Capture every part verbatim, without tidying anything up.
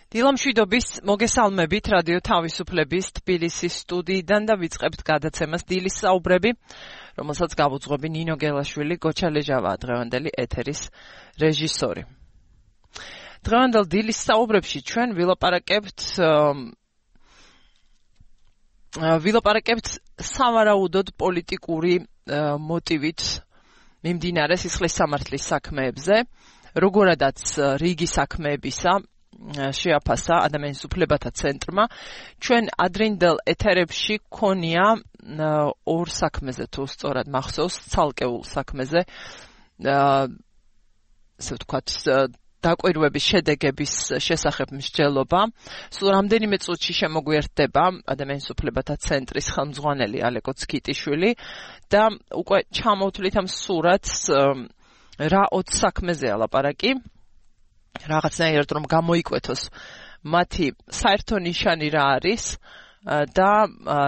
დილამშვიდობის მოგესალმებით რადიო თავისუფლების თბილისის სტუდიიდან და ვიწყებთ გადაცემას დილის საუბრები, რომელსაც გავუძღვები ნინო გელაშვილი, გოჩა ლეჟავაა დღევანდელი ეთერის რეჟისორი. დღევანდელ დილის საუბრებში ჩვენ ვილაპარაკებთ ვილაპარაკებთ სავარაუდოდ პოლიტიკური მოტივით მიმდინარე სისხლის სამართლის საქმეებზე, როგორადაც რიგი საქმეებისა შეაფასა ადამიანის უფლებათა ცენტრმა. ჩვენ ადრინდელ ეთერებში გქონია ორ საქმეზე, თუ სწორად მახსოვს, ცალკეულ საქმეზე, ასე ვთქვათ, დაკვირვების შედეგების შესახებ მსჯელობა. სულ რამდენიმე წუთში შემოგვიერთდება ადამიანის უფლებათა ცენტრის ხელმძღვანელი ალეკო ცქიტიშვილი და უკვე ჩამოვთვლით ამ სურათს, რა ოც საქმეზეა ლაპარაკი. რაღაცნაირად რომ გამოიკვეთოს მათი საერთო ნიშანი რა არის და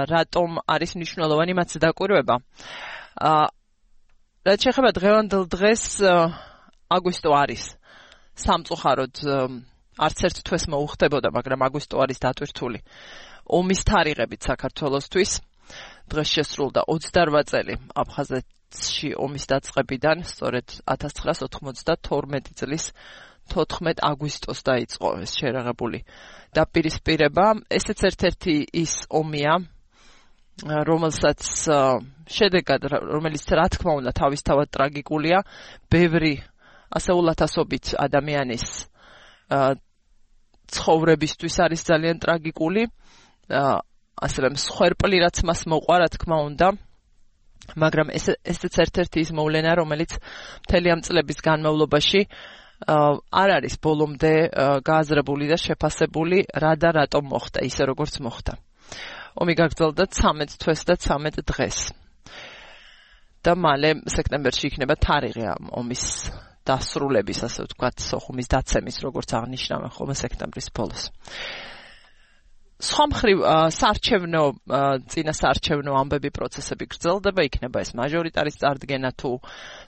რატომ არის მნიშვნელოვანი მათი დაკვირვება. რაც შეეხება დღევანდელ დღეს, აგვისტო არის სამწუხაროდ არც ერთ თვეს მოუხდებოდა, მაგრამ აგვისტო არის დატვირთული ომის თარიღებით საქართველოსთვის. დღეს შესრულდა ოცდაორ წელი აფხაზეთში ომის დაწყებიდან, სწორედ ათას ცხრაას ოთხმოცდათორმეტი წლის თოთხმეტ აგვისტოს დაიწყო ეს შერაღებული დაპირისპირება. ესეც ერთ-ერთი ის ომია, რომელსაც შედეგად, რომელიც რა თქმა უნდა თავისთავად ტრაგიკულია, ბევრი ასეულათასობით ადამიანის ცხოვრებისთვის არის ძალიან ტრაგიკული, ასევე მსხვერპლი რაც მას მოყვა, რა თქმა უნდა, მაგრამ ესეც ერთ-ერთი ის მოვლენა, რომელიც მთელი ამ წლების განმავლობაში არ არის ბოლომდე გააზრებული და შეფასებული, რა და რატომ მოხდა ისე როგორც მოხდა. ომი გაგრძელდა ცამეტ თვეს და ცამეტ დღეს. და მალე სექტემბერში იქნება თარიღი ამ ომის დასრულების, ასე ვთქვათ, სოხუმის დაცემის, როგორც აღნიშნავენ ხოლმე სექტემბრის ბოლოს. სხვა მხრივ საარჩევნო წინა საარჩევნო ამბები პროცესები გრძელდება, იქნება ეს მაჟორიტარის წარდგენა თუ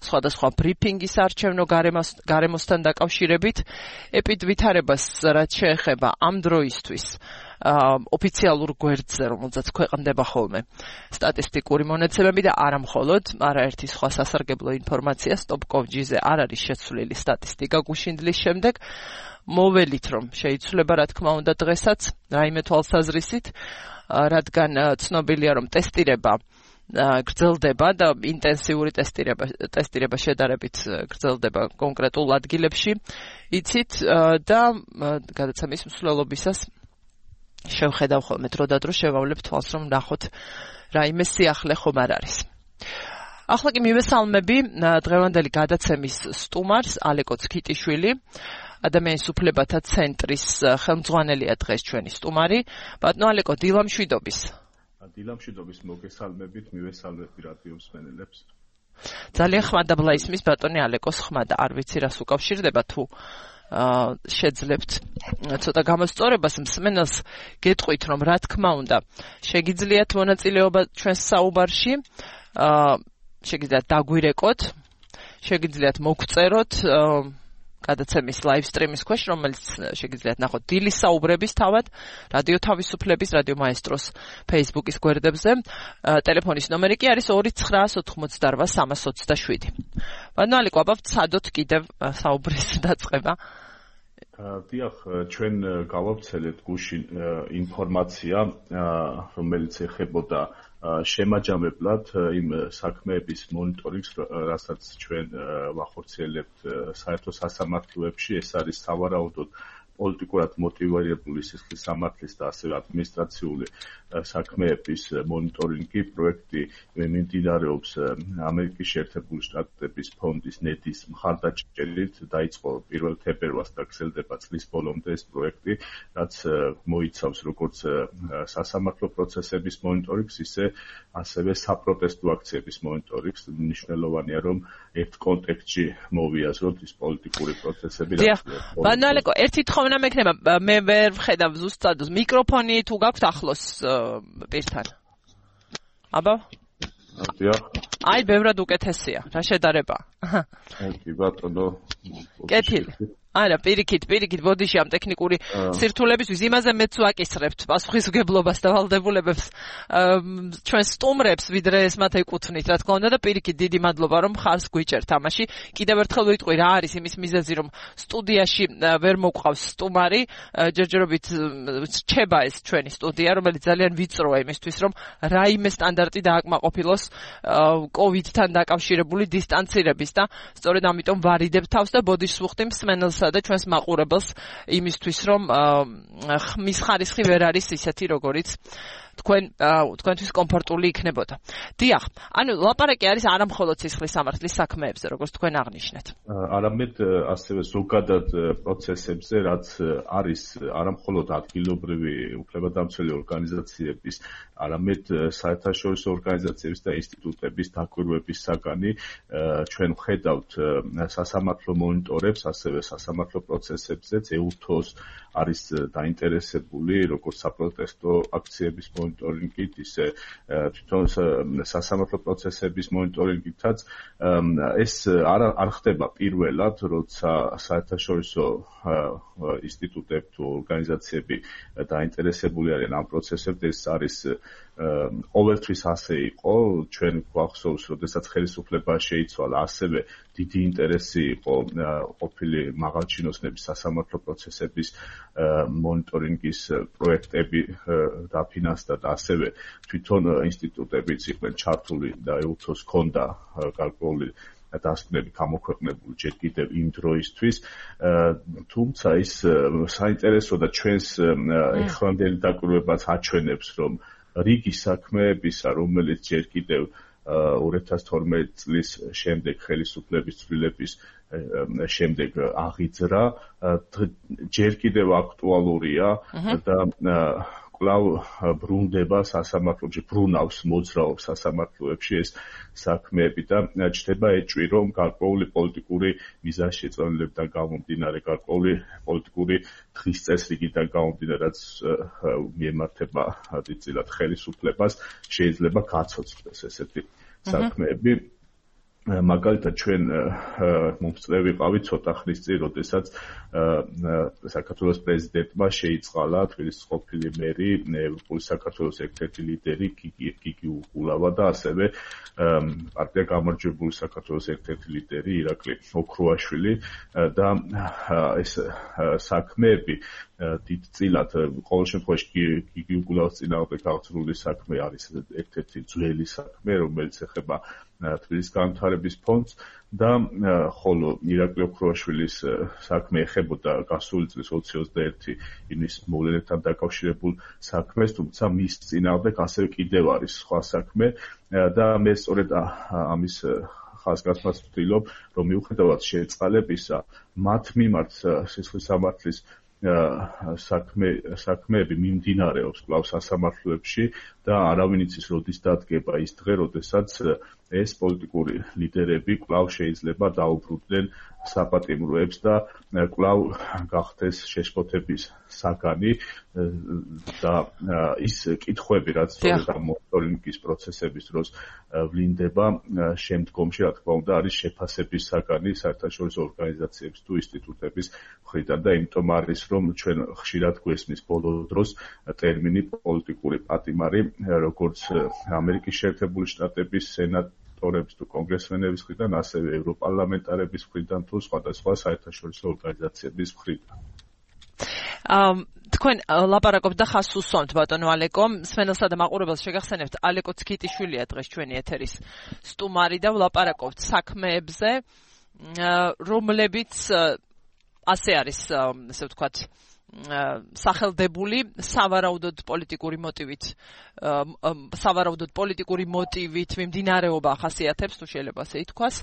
სხვადასხვა ბრიფინგი საარჩევნო გარემოსთან დაკავშირებით. ეპიდვითარებას რაც შეეხება ამ დროისთვის ოფიციალურ გვერდზე, რომელზეც ქვეყნდება ხოლმე სტატისტიკური მონაცემები და არა მხოლოდ, არაერთი სხვა სასარგებლო ინფორმაცია stop.gov.ზე არ არის შეცვლილი სტატისტიკა გუშინდლის შემდეგ. მოველით რომ შეიცვლება, რა თქმა უნდა, დღესაც რაიმე თვალსაზრისით, რადგან ცნობილია რომ ტესტირება გრძელდება და ინტენსიური ტესტირება ტესტირება შედარებით გრძელდება კონკრეტულ ადგილებში, იცით და გადაცემის მსვლელობისას შევხედავ ხოლმე დრო და დრო შევავლებ თვალს რომ ნახოთ რაიმე სიახლე ხომ არ არის. ახლა კი მივესალმები დღევანდელი გადაცემის სტუმარს ალეკო ცქიტიშვილი, ადამიანის უფლებათა ცენტრის ხელმძღვანელია დღეს ჩვენი სტუმარი. ბატონო ალეკო, დილამშვიდობის. დილამშვიდობის მოგესალმებით, მივესალმები რადიო მსმენელებს. ძალიან ხმადაბლა ისმის ბატონი ალეკოს ხმა და არ ვიცი რას უკავშირდება, თუ შეძლებთ ცოტა გამოსწორებას მსმენელს გეტყვით რომ რა თქმა უნდა შეგიძლიათ მონაწილეობა ჩვენს საუბარში, შეგიძლიათ დაგვირეკოთ, შეგიძლიათ მოგწეროთ გადაცემის live stream-ის ქვეშ, რომელიც შეგიძლიათ ნახოთ დილის საუბრების თავად, რადიო თავისუფლების, რადიო მაესტროს Facebook-ის გვერდებზე. ტელეფონის ნომერი კი არის ორი ცხრაას ოთხმოცდაორ სამას ოცდაშვიდი. ბატონო ალეკო, აბავთ სადოთ კიდევ საუბრის დაწყება. დიახ, ჩვენ გავავრცელეთ გუშინ ინფორმაცია, რომელიც ეხებოდა შემაჯამებლად იმ საქმეების მონიტორინგს, რასაც ჩვენ ვახორციელებთ საერთო სასამართლოებში. ეს არის სავარაუდოდ პოლიტიკურად მოტივირებული სისხლის სამართლის და ასევე ადმინისტრაციული საქმეების მონიტორინგი. პროექტი მიმდინარეობს ამერიკის შეერთებული შტატების ფონდის ნედის მხარდაჭერით. დაიწყო პირველ თებერვალს და გრძელდება წლის ბოლომდე ეს პროექტი, რაც მოიცავს როგორც სასამართლო პროცესების მონიტორინგს, ისე ასევე საპროტესტო აქციების მონიტორინგს. მნიშვნელოვანია რომ ერთ კონტექსტში მოვიაზროთ ის პოლიტიკური პროცესები. ბატონო ალეკო, ერთი თხოვნა მექნება, მე ვერ ვხედავ ზუსტად მიკროფონი თუ გაქვთ ახლოს პირთან. აბა? დიახ. აი, ბევრად უკეთესია. რა შედარება? კი ბატონო. კეთილი. არა, პირიქით, პირიქით, ბოდიში ამ ტექნიკური სირთულებისთვის იმაზე მეც ვაკისრებთ პასუხისმგებლობას და ვალდებულებებს ჩვენ სტუმრებს, ვიდრე ეს მათ ეკუთვნით, რა თქმა უნდა და პირიქით დიდი მადლობა რომ ხარს გვიჭერთ თამაში. კიდევ ერთხელ ვიტყვი რა არის იმის მიზეზი რომ სტუდიაში ვერ მოყვავს სტუმარი, ჯერჯერობით რჩება ეს ჩვენი სტუდია, რომელიც ძალიან ვიწროა იმისთვის რომ რაიმე სტანდარტი დააკმაყოფილოს კოვიდთან დაკავშირებული დისტანცირების და სწორედ ამიტომ ვარიდებ თავს და ბოდიშს ვუხდი მსმენელს და ჩვენს მაყურებელს იმისთვის რომ ხმის ხარისხი ვერ არის ისეთი როგორიც თქვენ თქვენთვის კომფორტული იქნებოდა. დიახ, ანუ ლაპარაკი არის არა მხოლოდ სისხლის სამართლის საქმეებზე, როგორც თქვენ აღნიშნეთ. არამედ ასევე ზოგადად პროცესებზე, რაც არის არა მხოლოდ ადგილობრივი უფლებადამცველი ორგანიზაციების, არამედ საერთაშორისო ორგანიზაციების და ინსტიტუტების დაკვირვების საგანი, ჩვენ ვხედავთ სასამართლო მონიტორებს, ასევე სასამართლო პროცესებზეც ეუთოს არის დაინტერესებული როგორც საპროტესტო აქციების მონიტორინგით, ისე თვითონ სასამართლო პროცესების მონიტორინგითაც ეს არ არ ხდება პირველად, როცა საერთაშორისო ინსტიტუტები თუ ორგანიზაციები დაინტერესებული არიან ამ პროცესებზე, ეს არის ყოველთვის ასე იყო, ჩვენ გვახსოვს, როდესაც ხელისუფლება შეიცვალა, ასევე დიდი ინტერესი იყო ყოფილი მაღალჩინოსნების სასამართლო პროცესების მონიტორინგის პროექტები დაფინანსდა და ასევე თვითონ ინსტიტუტებიც იყვნენ ჩართული და ეუთოს ჰქონდა გარკვეული დასკვნები გამოქვეყნებული ჯერ კიდევ იმ დროისთვის, თუმცა ის საინტერესო და ჩვენს ეხლანდელი დაკვირვებაც აჩვენებს, რომ რიგი საქმეებისა, რომელიც ჯერ კიდევ ორი ათას თორმეტი წლის შემდეგ ხელისუფლების ცვლილების შემდეგ აღიძრა, ჯერ კიდევ აქტუალურია და კვლავ ბრუნდება სასამართლოებში, ბრუნავს, მოძრაობს სასამართლოებში ეს საქმეები და ჩნდება ეჭვი, რომ გარკვეული პოლიტიკური მიზანშეწონილებიდან გამომდინარე, გარკვეული პოლიტიკური დღის წესრიგიდან გამომდინარე, რაც მიემართება დიდწილად ხელისუფლებას, შეიძლება გაცოცხლდეს ესეთი საქმეები. მაგალითად ჩვენ მომწვევი ვიყავით ცოტა ხნის წინ, როდესაც საქართველოს პრეზიდენტმა შეიწყალა თბილისის ყოფილი მერი, ევროპული საქართველოს ერთ-ერთი ლიდერი გიგი უგულავა და ასევე პარტია გამარჯვებული საქართველოს ერთ-ერთი ლიდერი ირაკლი ოქრუაშვილი და ეს საქმეები დიდწილად ყოველ შემთხვევაში გიგი უგულავას წინააღმდეგ აღწრული საქმე არის ერთ-ერთი ძველი საქმე, რომელიც ეხება თბილისის განვითარების ფონდს და ხოლო ირაკლი ოქრუაშვილის საქმე ეხებოდა გასული წლის ოცი ოცდაერთი ივნისის მოვლენებთან დაკავშირებულ საქმეს, თუმცა მის წინააღმდეგ ასევე კიდევ არის სხვა საქმე და მე სწორედ ამის ხაზგასმაც ვთვლობ, რომ მიუხედავად შეწყალებისა, მათ მიმართ სისხლის სამართლის საქმე საქმეები მიმდინარეობს კვლავ სასამართლოებში და არავინ იცის როდის დადგება ის დღე, როდესაც ეს პოლიტიკური ლიდერები კვლავ შეიძლება დაუბრუნდნენ საპატიმროებს და კვლავ გახდეს შეშფოთების საგანი და ის კითხვები, რაც სწორედ ამ მონიტორინგის პროცესების დროს ვლინდება, შემდგომში, რა თქმა უნდა, არის შეფასების საგანი საერთაშორისო ორგანიზაციების თუ ინსტიტუტების მხრიდან და იმიტომ არის, რომ ჩვენ ხშირად გვესმის ბოლო დროს ტერმინი პოლიტიკური პატიმარი, როგორც ამერიკის შეერთებული შტატების სენატორების თუ კონგრესმენების მხრიდან, ასევე ევროპარლამენტარების მხრიდან თუ სხვადასხვა საერთაშორისო ორგანიზაციების მხრიდან. თქვენ ლაპარაკობთ და ხას უსვამთ ბატონო ალეკო, მსმენელსა და მაყურებელს შეგახსენებთ, ალეკო ცქიტიშვილია დღეს ჩვენი ეთერის სტუმარი და ვლაპარაკობთ საქმეებზე, რომლებიც ასე არის, ესე ვთქვათ, სახელდებული სავარაუდოდ პოლიტიკური მოტივით სავარაუდოდ პოლიტიკური მოტივით მიმდინარეობა ახასიათებს, თუ შეიძლება ასე ითქვას.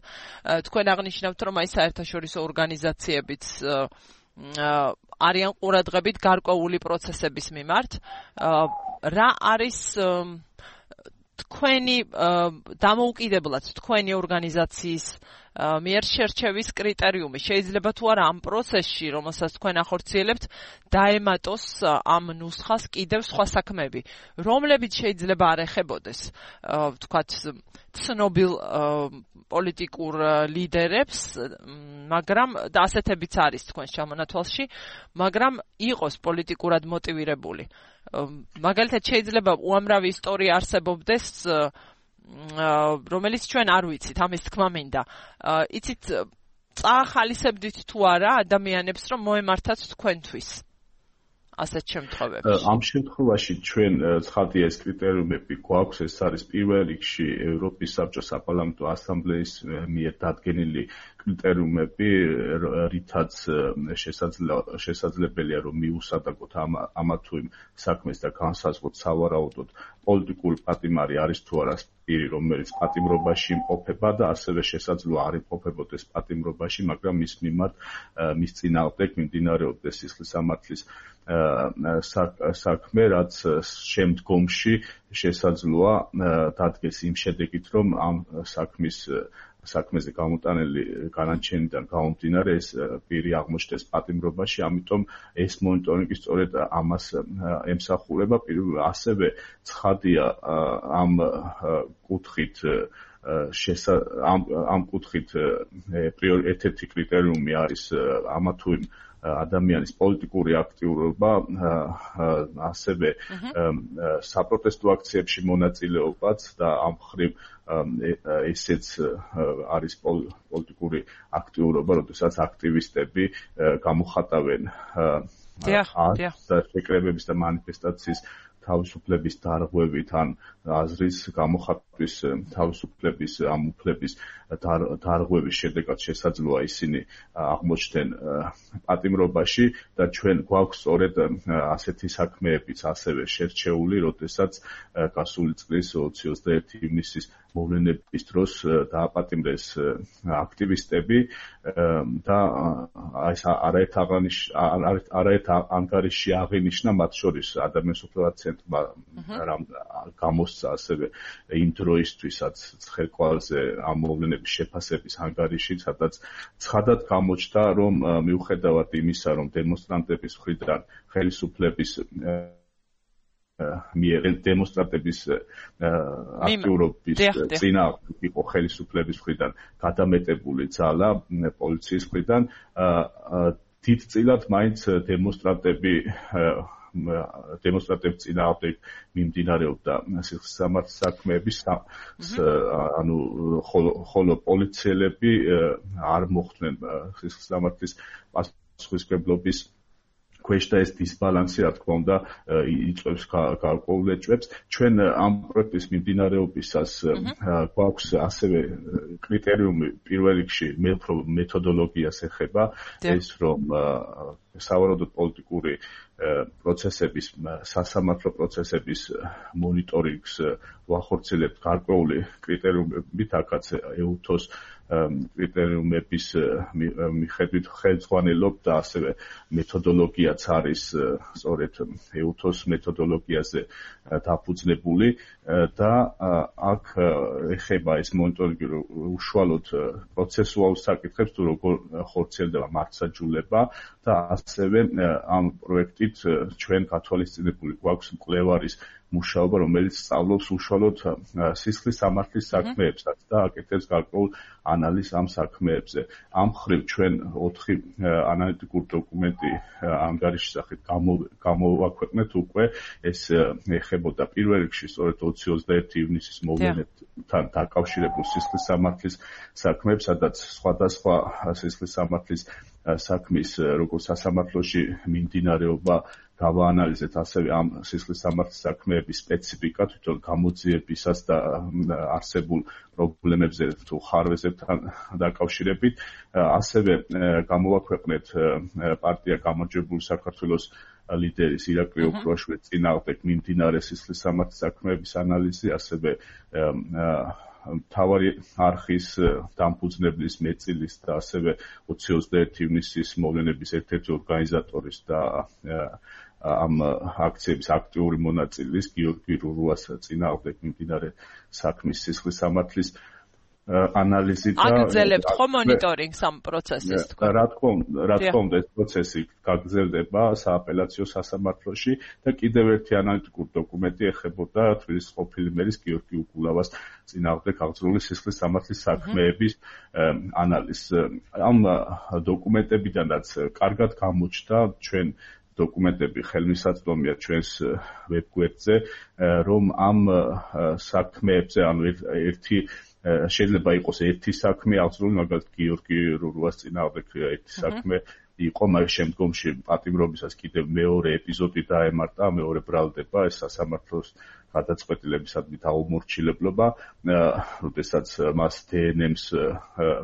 თქვენ აღნიშნავთ, რომ აი საერთაშორისო ორგანიზაციებიც არიან ყურადღებით გარკვეული პროცესების მიმართ. რა არის თქვენი დამოუკიდებლად თქვენი ორგანიზაციის მიერ შერჩევის კრიტერიუმი შეიძლება თუ არა ამ პროცესში, რომელსაც თქვენ ახორციელებთ, დაემატოს ამ ნუსხას კიდევ სხვა საქმეები, რომლებიც შეიძლება არ ეხებოდეს, ვთქვათ, ცნობილ პოლიტიკურ ლიდერებს, მაგრამ და ასეთებიც არის თქვენს ჩამონათვალში, მაგრამ იყოს პოლიტიკურად მოტივირებული. მაგალითად შეიძლება უამრავი ისტორია არსებობდეს, რომელიც ჩვენ არ ვიცით, ამის თქმა მინდა. იცით, წაახალისებდით თუ არა ადამიანებს, რომ მოემართათ თქვენთვის ასეთ შემთხვევებში? ამ შემთხვევაში ჩვენ ცხადია ეს კრიტერიუმები გვაქვს, ეს არის პირველ რიგში ევროპის საბჭოს საპარლამენტო ასამბლეის მიერ დადგენილი კრიტერიუმები, რითაც შესაძლებელია რომ მიუსადაგოთ ამა თუ იმ საქმეს და განსაზღვროთ სავარაუდოდ პოლიტიკური პატიმარი არის თუ არა პირი, რომელიც პატიმრობაში იმყოფება და ასევე შესაძლოა არ იმყოფებოდეს პატიმრობაში, მაგრამ მის მიმართ მის წინააღმდეგ მიმდინარეობდეს სისხლისამართლის საქმე, რაც შემდგომში შესაძლოა დადგეს იმ შედეგით, რომ ამ საქმის საქმეზე გამოტანილი განაჩენიდან გამომდინარე ეს პირი აღმოჩნდეს პატიმრობაში, ამიტომ ეს მონიტორინგი სწორედ ამას ემსახურება. ასევე ცხადია ამ კუთხით ამ ამ კუთხით ერთ-ერთი კრიტერიუმი არის ამა თუ იმ ადამიანის პოლიტიკური აქტიურობა, ასევე საპროტესტო აქციებში მონაწილეობაც და ამ მხრივ ესეც არის პოლიტიკური აქტიურობა, როდესაც აქტივისტები გამოხატავენ შეკრებების და მანიფესტაციის თავისუფლების დარღვევით ან აზრის გამოხატვის თავისუფლების ამ უფლების დარღვევის შედეგად შესაძლოა ისინი აღმოჩნდნენ პატიმრობაში და ჩვენ გვაქვს სწორედ ასეთი საქმეებიც ასევე შერჩეული, როდესაც გასული წლის ოცი ოცდაერთი ივნისის მოვლენების დროს დააპატიმრეს აქტივისტები და ეს არაერთ ანგარიში აღინიშნა, მათ შორის ადამიანის უფლებათა ცენტრმა გამოსცა ასევე იმ დროისთვისაც ცხელკვალზე ამ მოვლენების შეფასების ანგარიში, სადაც ცხადად გამოჩნდა, რომ მიუხედავად იმისა, რომ დემონსტრანტების მხრიდან ხელისუფლების მიერ დემონსტრანტების აქტიურობის წინააღმდეგ იყო ხელისუფლების მხრიდან გადამეტებული ძალა პოლიციის მხრიდან, დიდწილად მაინც დემონსტრანტები დემონსტრანტების წინააღმდეგ მიმდინარეობდა სისხლისამართლის საქმეები, ანუ ხოლო პოლიციელები არ მოხვდნენ სისხლისამართლის პასუხისმგებლობის ქვეშ და ეს დისბალანსი, რა თქმა უნდა, იწვევს გარკვეულ ეჭვებს. ჩვენ ამ პროექტის მიმდინარეობისას გვაქვს ასევე კრიტერიუმი პირველ რიგში მეთოდოლოგიას ეხება, ეს რომ სავარაუდოდ პოლიტიკური პროცესების, სასამართლო პროცესების მონიტორინგს ვახორციელებთ გარკვეული კრიტერიუმებით, აქაც ეუთოს კრიტერიუმების მიხედვით ხელმძღვანელობ და ასევე მეთოდოლოგიაც არის სწორედ ეუთოს მეთოდოლოგიაზე დაფუძნებული და აქ ეხება ეს მონიტორინგი უშუალოდ პროცესუალურ საკითხებს, თუ როგორ ხორციელდება მართლმსაჯულება და ასევე ამ პროექტით ჩვენ გათვალისწინებული გვაქვს მკვლევარის მუშაობა, რომელიც სწავლობს უშუალოდ სისხლისამართლის საქმეებსაც და აკეთებს გარკვეულ ანალიზს ამ საქმეებზე. ამ მხრივ ჩვენ ოთხი ანალიტიკური დოკუმენტი ანგარიშის სახით გამოვაქვეყნეთ უკვე, ეს ეხებოდა პირველ რიგში სწორედ ოცი ოცდაერთი ივნისის მოვლენებთან დაკავშირებულ სისხლისამართლის საქმეებს, სადაც სხვადასხვა სისხლისამართლის საქმის როგორც სასამართლოში მიმდინარეობა გავაანალიზეთ, ასევე ამ სისხლისამართლის საქმეების სპეციფიკა, თვითონ გამოძიებისას და არსებულ პრობლემებზე თუ ხარვეზებთან დაკავშირებით, ასევე გამოვაქვეყნეთ პარტია გამარჯვებული საქართველოს ლიდერის ირაკლი ოქროაშვილის წინააღმდეგ მიმდინარე სისხლისამართლის საქმეების ანალიზი, ასევე მთავარი არხის დამფუძნებლის მეწილის და ასევე ოცი ოცდაერთი ივნისის მოვლენების ერთ-ერთი ორგანიზატორის და ამ აქციების აქტიური მონაწილის გიორგი რურუას წინააღმდეგ მიმდინარე საქმის სისხლის სამართლის ანალიზი და აგრძელებთ ხო მონიტორინგს ამ პროცესის თქვა? რა თქმა უნდა, რა თქმა უნდა ეს პროცესი გაგრძელდება სააპელაციო სასამართლოში და კიდევ ერთი ანალიტიკური დოკუმენტი ეხებოდა თბილისის ყოფილი მერის გიორგი უკულავას წინააღმდეგ აღძრული სისხლის სამართლის საქმეების ანალიზს. ამ დოკუმენტებიდანაც კარგად გამოჩნდა ჩვენ დოკუმენტები ხელმისაწვდომია ჩვენს ვებგვერდზე, რომ ამ საქმეებზე ანუ ერთი შეიძლება იყოს ერთი საქმე აღძრული, მაგალითად გიორგი რურუას წინააღმდეგ ერთი საქმე იყო, მაგრამ შემდგომში პატიმრობისას კიდევ მეორე ეპიზოდი დაემართა, მეორე ბრალდება ეს სასამართლოს გადაწყვეტილებისადმი დაუმორჩილებლობა, როდესაც მას დე ენ ემს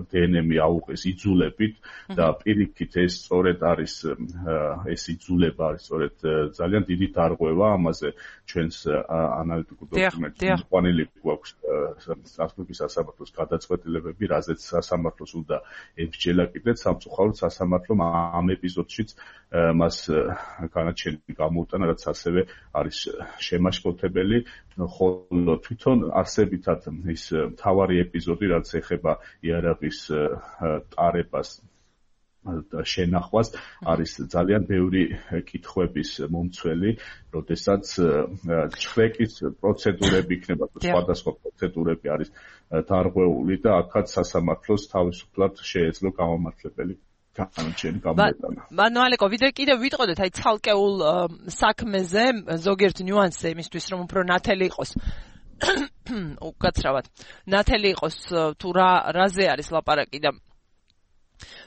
დე ენ ემი აუღეს იძულებით და პირიქით ეს სწორედ არის ეს იძულება არის სწორედ ძალიან დიდი დარღვევა ამაზე ჩვენს ანალიტიკურ დოკუმენტში მიყვანილი გვაქვს სასამართლოს სასამართლოს გადაწყვეტილებები, რაზეც სასამართლოს უნდა ებჯელა კიდეც სამწუხაროდ სასამართლომ ამ ეპიზოდშიც მას განაჩენი გამოუტანა, რაც ასევე არის შემაშფოთებელი, ხოლო თვითონ არსებითად ის მთავარი ეპიზოდი, რაც ეხება იარაღის ტარებას და შენახვას, არის ძალიან ბევრი კითხვების მომცველი, როდესაც ჩხრეკის პროცედურები იქნება, სხვადასხვა პროცედურები არის დარღვეული და აქაც სასამართლოს თავისუფლად შეეძლო გამომართლებელი განაჩენი გამოტანა. ანუ ალეკო, ვიდრე კიდევ ვიტყოდეთ აი ცალკეულ საქმეზე ზოგიერთ ნიუანსზე იმისთვის, რომ უფრო ნათელი იყოს უკაცრავად ნათელი იყოს თუ რა რაზე არის ლაპარაკი და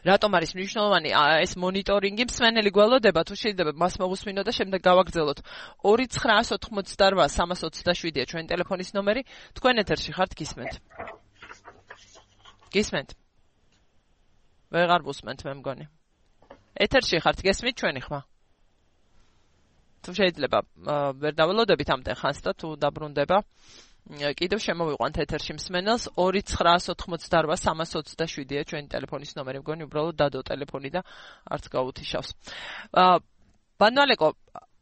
რატომ არის მნიშვნელოვანი ეს მონიტორინგი, მსმენელი გველოდება თუ შეიძლება მას მოგუსმინოთ და შემდეგ გავაგრძელოთ. ორი ცხრაას ოთხმოცდარვა სამას ოცდაშვიდია ჩვენი ტელეფონის ნომერი, თქვენ ეთერში ხართ, გისმენთ? გისმენთ? ვეღარ ვუსმენთ მე მგონი. ეთერში ხართ, გესმით ჩვენი ხმა? თუ შეიძლება ვერ დაველოდებით ამდენ ხანს და თუ დაბრუნდება, კიდევ შემოვიყვანთ ეთერში მსმენელს. ორი ცხრაას ოთხმოცდარვა სამას ოცდაშვიდია ჩვენი ტელეფონის ნომერი, მგონი უბრალოდ დადო ტელეფონი და არც გაუთიშავს. ბანვალეკო,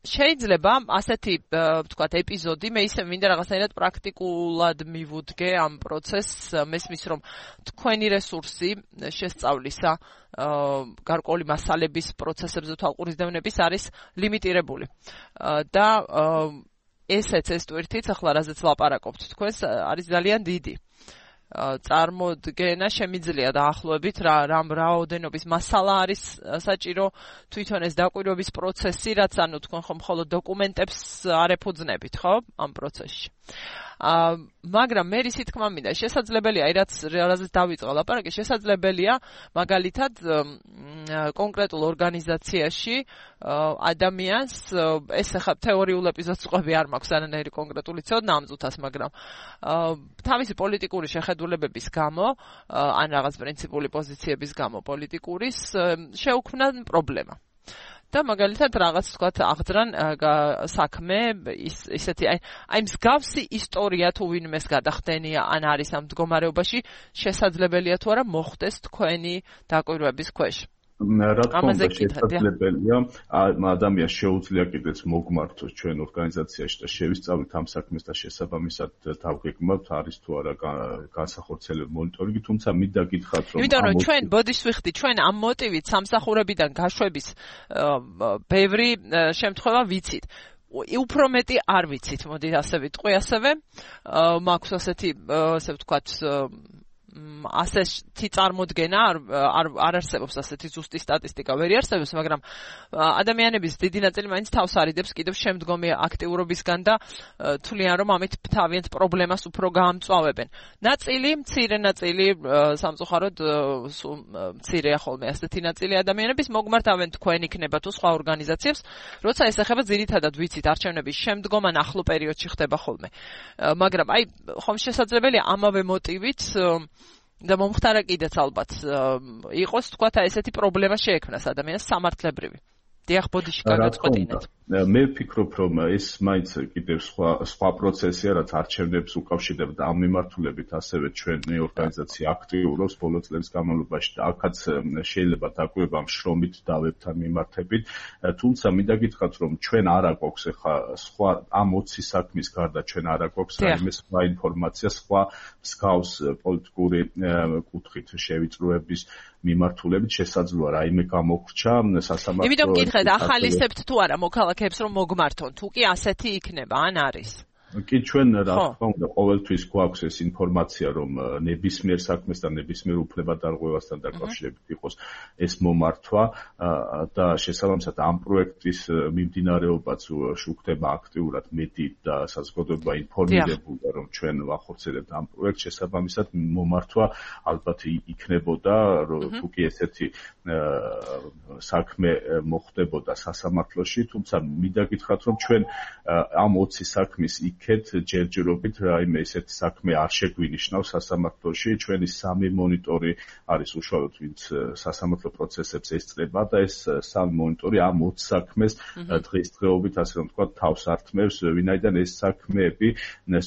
შეიძლება ასეთი ვთქვათ ეპიზოდი მე ისე მინდა რაღაცნაირად პრაქტიკულად მივუდგე ამ პროცესს, მესმის რომ თქვენი რესურსი შესწავლისა გარკვეული მასალების პროცესებზე თვალყურის დევნების არის ლიმიტირებული და ესეც ეს ტვირთიც ახლა რაზეც ლაპარაკობთ თქვენს არის ძალიან დიდი. წარმოდგენა შემიძლია დაახლოებით რა რამ რაოდენობის მასალა არის საჭირო თვითონ ეს დაკვირვების პროცესი, რაც ანუ თქვენ ხომ მხოლოდ დოკუმენტებს არ ეფუძნებით, ხო, ამ პროცესში. მაგრამ მე ისი თქმა მინდა, შესაძლებელია, აი რაც რაზეც დავიწყე ლაპარაკი, შესაძლებელია მაგალითად კონკრეტულ ორგანიზაციაში ადამიანს ეს ახლა თეორიულ ეპიზოდს ყვები არ მაქვს არანაირი კონკრეტული ცოდნა ამ ზუთას, მაგრამ თავისი პოლიტიკური შეხედულებების გამო ან რაღაც პრინციპული პოზიციების გამო პოლიტიკურის შეუქმნა პრობლემა. და მაგალითად რაღაც თქვათ აღძრან საქმე ის ისეთი აი აი მსგავსი ისტორია თუ ვინმეს გადახდენია ან არის ამ მდგომარეობაში, შესაძლებელია თუ არა მოხდეს თქვენი დაკვირვების ქვეშ. რა თქმა უნდა შესაძლებელია ადამიანს შეუძლია კიდეც მოგმართოს ჩვენ ორგანიზაციაში და შევისწავლით ამ საქმეს და შესაბამისად დავგეგმავთ არის თუ არა განსახორციელებელი მონიტორინგი, თუმცა მინდა გითხრათ რომ იმიტომ რომ ჩვენ ბოდიშს ვიხდი, ჩვენ ამ მოტივით სამსახურებიდან გაშვების ბევრი შემთხვევა ვიცით. უფრო მეტი არ ვიცით, მოდი ასე ვიტყვი, ასევე მაქვს ასეთი ასე ვთქვათ ასეთი წარმოდგენა არ არ არსებობს ასეთი ზუსტი სტატისტიკა ვერ არსებობს, მაგრამ ადამიანების დიდი ნაწილი მაინც თავს არიდებს კიდევ შემდგომი აქტიურობისგან და თვლიან რომ ამით თავიანთ პრობლემას უფრო გაამწვავებენ. ნაწილი, მცირე ნაწილი სამწუხაროდ მცირეა ხოლმე ასეთი ნაწილი ადამიანების მოგმართავენ თქვენ იქნება თუ სხვა ორგანიზაციებს, როცა ეს ეხება ძირითადად ვიცით არჩევნების შემდგომ ან ახლო პერიოდში ხდება ხოლმე. მაგრამ აი ხომ შესაძლებელია ამავე მოტივით და მომხდარა კიდეც ალბათ იყოს თქვათ ესეთი პრობლემა შეექმნას ადამიანს სამართლებრივი. დიახ, ბოდიში გადაწყვეტინეთ. მე ვფიქრობ, რომ ეს მაინც კიდევ სხვა სხვა პროცესია, რაც არჩევნებს უკავშირდება ამ მიმართულებით, ასევე ჩვენი ორგანიზაცია აქტიურობს ბოლო წლების განმავლობაში და აქაც შეიძლება დაკვირვება შრომით დავებთან მიმართებით, თუმცა მინდა გითხრათ, რომ ჩვენ არ აგვაქვს ახლა სხვა ამ ოცი საქმის გარდა ჩვენ არ აგვაქვს რაიმე სხვა ინფორმაცია, სხვა მსგავს პოლიტიკური კუთხით შევიწროების მიმართულებით შესაძლოა რაიმე გამოგრჩა სასამართლო. იმიტომ გითხრათ, ახალისებთ თუ არა მოქალაქეებს რომ მოგმართონ, თუ კი ასეთი იქნება, ან არის? კი ჩვენ რა თქმა უნდა ყოველთვის გვაქვს ეს ინფორმაცია რომ ნებისმიერ საქმეს და ნებისმიერ უფლებადარღვევასთან დაკავშირებით იყოს ეს მომართვა და შესაბამისად ამ პროექტის მიმდინარეობაც შუქდება აქტიურად მედიით და საზოგადოება ინფორმირებულია რომ ჩვენ ვახორციელებთ ამ პროექტს შესაბამისად მომართვა ალბათ იქნებოდა თუ კი ესეთი საქმე მოხდებოდა სასამართლოში თუმცა მინდა გითხრათ რომ ჩვენ ამ ოცი საქმის იქეთ ჯერჯერობით რაიმე ესეთი საქმე არ შეგვინიშნავს სასამართლოში ჩვენი სამი მონიტორი არის უშუალოდ ვინც სასამართლო პროცესებს ესწრება და ეს სამი მონიტორი ამ ოცი საქმეს დღესდღეობით ასე რომ ვთქვათ თავს ართმევს ვინაიდან ეს საქმეები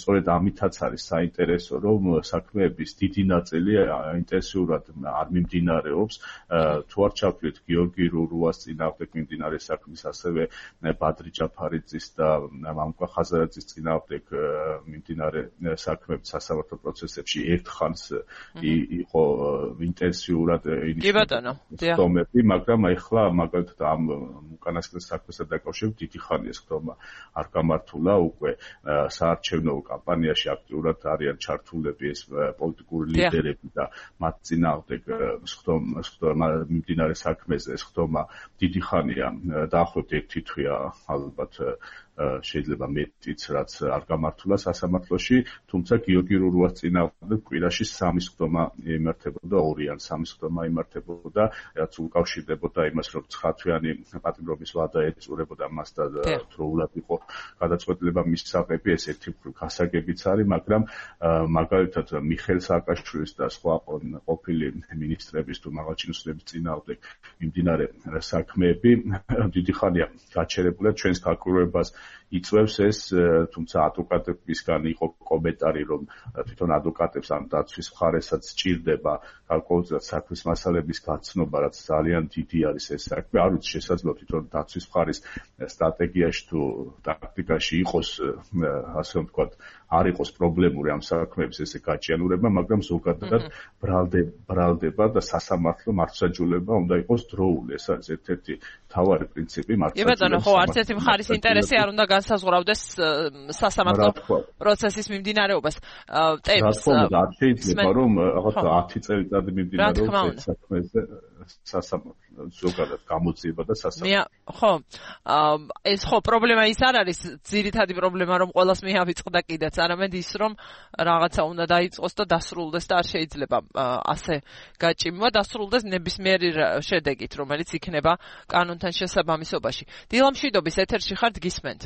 სწორედ ამითაც არის საინტერესო რომ საქმეების დიდი ნაწილი ინტენსიურად არ მიმდინარეობს თუ არ ჩავთვლით გიორგი რურუას წინააღმდეგ მიმდინარე საქმის ასევე ბადრი ჯაფარიძის და მამუკა ხაზარაძის წინააღმდეგ მიმდინარე საქმეების სასამართლო პროცესებში ერთხანს იყო ინტენსიურად ინიციატივები, მაგრამ ახლა მაგალითად ამ უკანასკნელ საქმესთან დაკავშირებით დიდი ხანია ხდომა არ გამართულა უკვე საარჩევნო კამპანიაში აქტიურად არიან ჩართულები ეს პოლიტიკური ლიდერები და მათ წინააღმდეგ ხდომა მიმდინარე საქმეზე ეს ხდომა დიდი ხანია დაახლოებით ერთი თვეა ალბათ შეიძლება მეტიც რაც არ გამართულა სასამართლოში, თუმცა გიორგი რურუას წინააღმდეგ კვირაში სამი ხდომა იმართებოდა, ორი ან სამი ხდომა იმართებოდა, რაც უკავშირდებოდა იმას, რომ ცხრათვიანი პატიმრობის ვადა ეწურებოდა მას და დროულად იყო გადაწყვეტილება მისაღები, ეს ერთი გასაგებიც არის, მაგრამ მაგალითად მიხეილ სააკაშვილის და სხვა ყოფილი მინისტრების თუ მაღალჩინოსნების წინააღმდეგ მიმდინარე საქმეები დიდი ხანია გაჩერებულა ჩვენს გაკვირვებას იწვევს ეს, თუმცა ადვოკატებისგან იყო კომენტარი, რომ თვითონ ადვოკატებს ამ დაცვის მხარესაც სჭირდება გარკვეულწილად საქმის მასალების გაცნობა, რაც ძალიან დიდი არის ეს საქმე. არ ვიცი, შესაძლოა თვითონ დაცვის მხარის სტრატეგიაში თუ ტაქტიკაში იყოს, ასე რომ ვთქვათ, არ იყოს პრობლემური ამ საქმეების ესე გაჭიანურება, მაგრამ ზოგადად ბრალდება და სასამართლო მართლმსაჯულება უნდა იყოს დროული. ეს არის ერთ-ერთი მთავარი პრინციპი მართლმსაჯულების. კი ბატონო, ხო, არც ერთი მხარის ინტერესი არ უნდა განსაზღვრავდეს სასამართლო პროცესის მიმდინარეობას. ტემს არ შეიძლება რომ რაღაცა ათი წელიწადი მიმდინარეობს საქმეზე სასამართლო ზოგადად გამოძიება და სასამართლო. ხო, ეს ხო პრობლემა ის არ არის ძირითადი პრობლემა რომ ყოველას მიავიწყდა კიდეც, არამედ ის რომ რაღაცა უნდა დაიწყოს და დასრულდეს და არ შეიძლება ასე გაჭიმვა, დასრულდეს ნებისმიერი შედეგით, რომელიც იქნება კანონთან შესაბამისობაში. დილა მშვიდობის ეთერში ხართ, გისმენთ.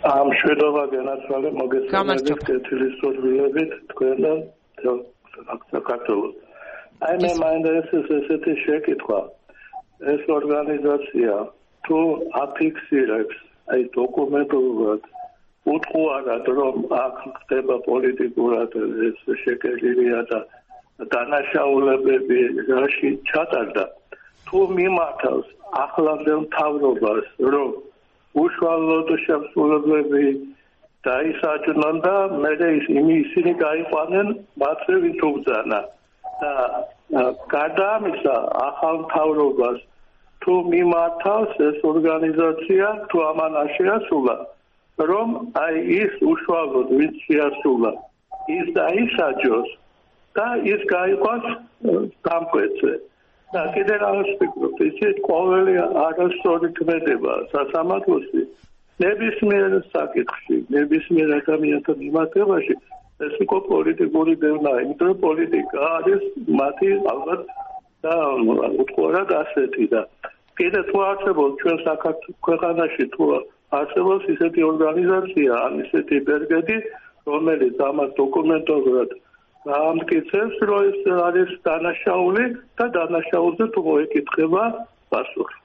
ამ შვიდობა განაცვალე მოგესალმებით კეთილის სურვილებით თქვენთან საქართველოს. აი მე მაინტერესებს ესეთი შეკითხვა. ეს ორგანიზაცია თუ აფიქსირებს აი დოკუმენტურად უთხოვარად რომ აქ ხდება პოლიტიკურად ეს შეკერილია და დანაშაულებები რაში ჩატარდა თუ მიმართავს ახლანდელ მთავრობას რომ უშუალოდ შემსრულებლები დაისაჯნონ და მერე ისინი გაიყვანენ მათზე ვინც უბრძანა და გარდა ამისა ახალ მთავრობას თუ მიმართავს ეს ორგანიზაცია თუ ამან არ შეასრულა რომ აი ის უშუალოდ ვინც შეასრულა ის დაისაჯოს და ის გაიყვანს დამკვეთზე და კიდევ რაღაც ვფიქრობ ისეთ ყოველი არასწორი ქმედება სასამართლოში ნებისმიერ საკითხში ნებისმიერ ადამიანთან მიმართებაში ეს იყო პოლიტიკური დევნა, იმიტომ რომ პოლიტიკა არის მათი ალბათ და უთხოვარად ასეთი და კიდე თუ არსებობს ჩვენ საქართველოს ქვეყანაში თუ არსებობს ისეთი ორგანიზაცია ან ისეთი ბერგედი რომელიც ამას დოკუმენტურად ამტკიცებს რომ ეს არის დანაშაული და დანაშაულზე თუ მოეკითხება პასუხი.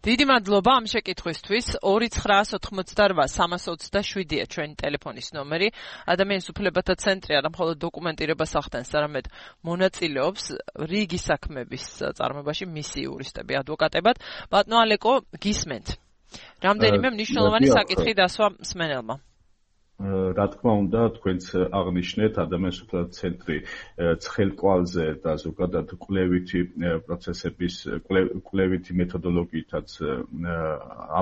დიდი მადლობა ამ შეკითხვისთვის. ორი ცხრაას ოთხმოცდარვა სამას ოცდაშვიდია ჩვენი ტელეფონის ნომერი. ადამიანის უფლებათა ცენტრი არა მხოლოდ დოკუმენტირებას ახდენს, არამედ მონაწილეობს რიგი საქმების წარმოებაში მისი იურისტები ადვოკატებად. ბატონო ალეკო, გისმენთ. რამდენიმე მნიშვნელოვანი საკითხი დასვა მსმენელმა. რა თქმა უნდა, თქვენც აღნიშნეთ ადამიანის უფლებათა ცენტრი ცხელკვალზე და ზოგადად კვლევითი პროცესების კვლევითი მეთოდოლოგიითაც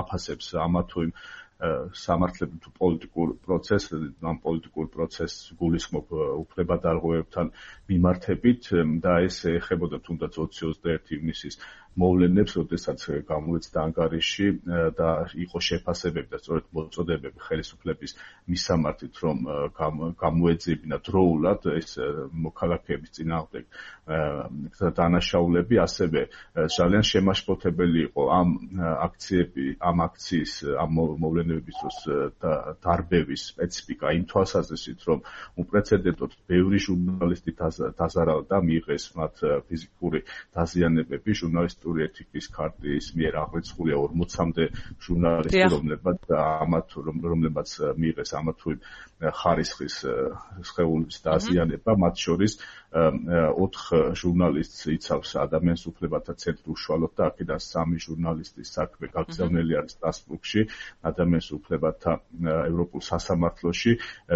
აფასებს ამა თუ იმ სამართლებრივ თუ პოლიტიკურ პროცესს, ამ პოლიტიკურ პროცესს გულისხმობ უფლებადარღვევებთან მიმართებით და ეს ეხებოდა თუნდაც ოცი ოცდაერთი ივნისის მოვლენებს, როდესაც გამოეცდა ანგარიში და იყო შეფასებები და სწორედ მოწოდებები ხელისუფლების მისამართით, რომ გამოეძებინა დროულად ეს მოქალაქეების წინააღმდეგ დანაშაულები, ასევე ძალიან შემაშფოთებელი იყო ამ აქციები, ამ აქციის, ამ მოვლენების დროს დარბევის სპეციფიკა იმ თვალსაზრისით, რომ უპრეცედენტოდ ბევრი ჟურნალისტი დაზარალდა, მიიღეს მათ ფიზიკური დაზიანებები, ჟურნალისტ ეთიკის ქარტიის მიერ აღრიცხულია ორმოცამდე ჟურნალისტი, რომლებაც ამათ რომლებაც მიიღეს ამა თუ იმ ხარისხის სხეულის დაზიანება, მათ შორის ოთხ ჟურნალისტს იცავს ადამიანის უფლებათა ცენტრი უშუალოდ და აქედან სამი ჟურნალისტის საქმე გაგზავნილი არის სტრასბურგში, ადამიანის უფლებათა ევროპულ სასამართლოში,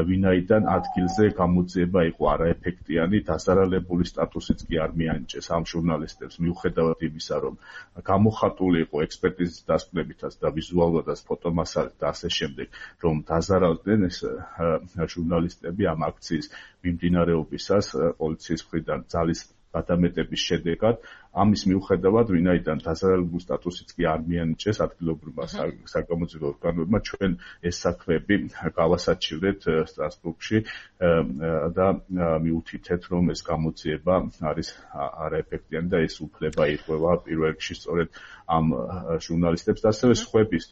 ვინაიდან ადგილზე გამოძიება იყო არაეფექტიანი, დაზარალებული სტატუსიც კი არ მიანიჭეს ამ ჟურნალისტებს, მიუხედავად იმისა, რომ გამოხატული იყო ექსპერტიზის დასკვნებითაც და ვიზუალურადაც ფოტომასალით და ასე შემდეგ, რომ დაზარალდნენ ეს ჟურნალისტები ამ აქციის მიმდინარეობისას პოლიციის მხრიდან ძალის გადამეტების შედეგად. ამის მიუხედავად, ვინაიდან დაზარალებულ სტატუსიც კი არ მიანიჭეს ადგილობრივმა საგამოძიებო ორგანოებმა, ჩვენ ეს საქმეები გავასაჩივრეთ სტრასბურგში და მიუთითეთ, რომ ეს გამოძიება არის არაეფექტიანი და ეს უფლება ირღვევა პირველ რიგში სწორედ ამ ჟურნალისტებს და ასევე სხვების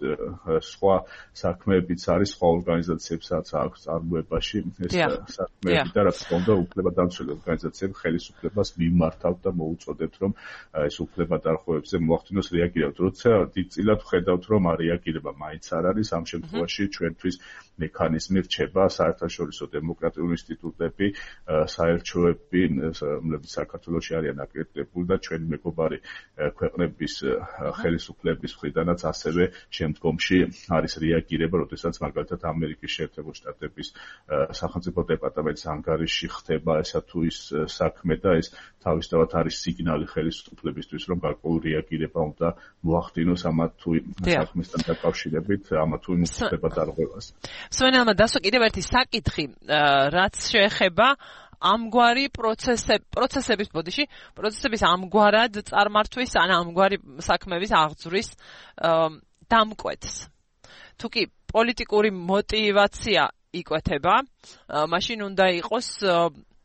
სხვა საქმეებიც არის, სხვა ორგანიზაციებსაც აქვს წარმოებაში ეს საქმეები და რა თქმა უნდა, უფლებადამცველი ორგანიზაციები ხელისუფლებას მიმართავთ და მოუწოდებთ, რომ ეს უფლებადარღვევებზე მოახდინოს რეაგირება. როცა დიდწილად ვხედავთ, რომ რეაგირება მაინც არ არის, ამ შემთხვევაში ჩვენთვის მექანიზმი რჩება საერთაშორისო დემოკრატიული ინსტიტუტები, საელჩოები, რომლებიც საქართველოში არიან აკრედიტებული და ჩვენი მეგობარი ქვეყნების ხელისუფლების მხრიდანაც ასევე შემდგომში არის რეაგირება, როდესაც მაგალითად ამერიკის შეერთებული შტატების სახელმწიფო დეპარტამენტის ანგარიში ხდება ესა თუ ის საქმე და ეს თავისთავად არის სიგნალი ხელისუფლებისთვის, რომ გარკვეული რეაგირება უნდა მოახდინოს ამა თუ იმ საქმესთან დაკავშირებით, ამა თუ იმ უფლებადარღვევას. მსმენელმა დასვა კიდევ ერთი საკითხი, რაც შეეხება ამგვარი პროცესები, პროცესების ბოდიში, პროცესების ამგვარად წარმართვის ან ამგვარი საქმეების აღძვრის დამკვეთს. თუ კი პოლიტიკური мотиваცია იკვეთება, მაშინ უნდა იყოს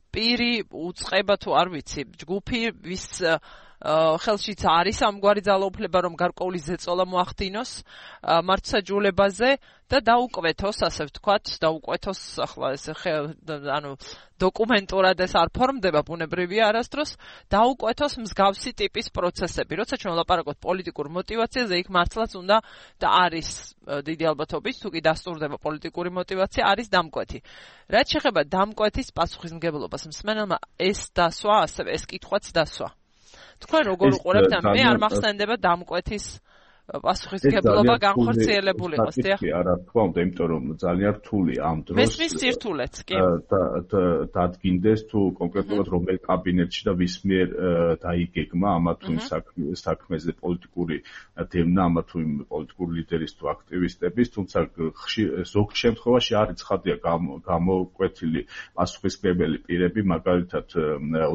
პირი უწყება თუ არ ვიცი, ჯგუფი ვის ხელშიც არის ამგვარი ძალაუფლება, რომ გარკვეული ზეწოლა მოახდინოს მართლმსაჯულებაზე და დაუკვეთოს, ასე ვთქვათ, დაუკვეთოს ახლა ეს ანუ დოკუმენტურად ეს არ ფორმდება ბუნებრივია არასდროს, დაუკვეთოს მსგავსი ტიპის პროცესები. როცა ჩვენ ვლაპარაკობთ პოლიტიკურ мотиваციაზე, იქ მართლაც უნდა და არის დიდი ალბათობით, თუ კი დასტურდება პოლიტიკური мотиваცია, არის დამკვეთი. რაც შეეხება დამკვეთის პასუხისმგებლობას, მსმენელმა ეს დასვა, ასევე ეს კითხვაც დასვა. თქვენ როგორ უყურებთ, მე არ მახსენდება დამკვეთის პასუხისმგებლობა განხორციელებული იყოს, დიახ. არა, თქმა უნდა, იმიტომ რომ ძალიან რთული ამ დროს მესმის სირთულეც, კი. დადგინდეს თუ კონკრეტულად რომელ კაბინეტში და ვის მიერ დაიგეგმა ამა თუ იმ საქმეზე პოლიტიკური დევნა, ამა თუ იმ პოლიტიკური ლიდერის თუ აქტივისტების, თუმცა ზოგ შემთხვევაში არის ცხადია გამოკვეთილი პასუხისმგებელი პირები, მაგალითად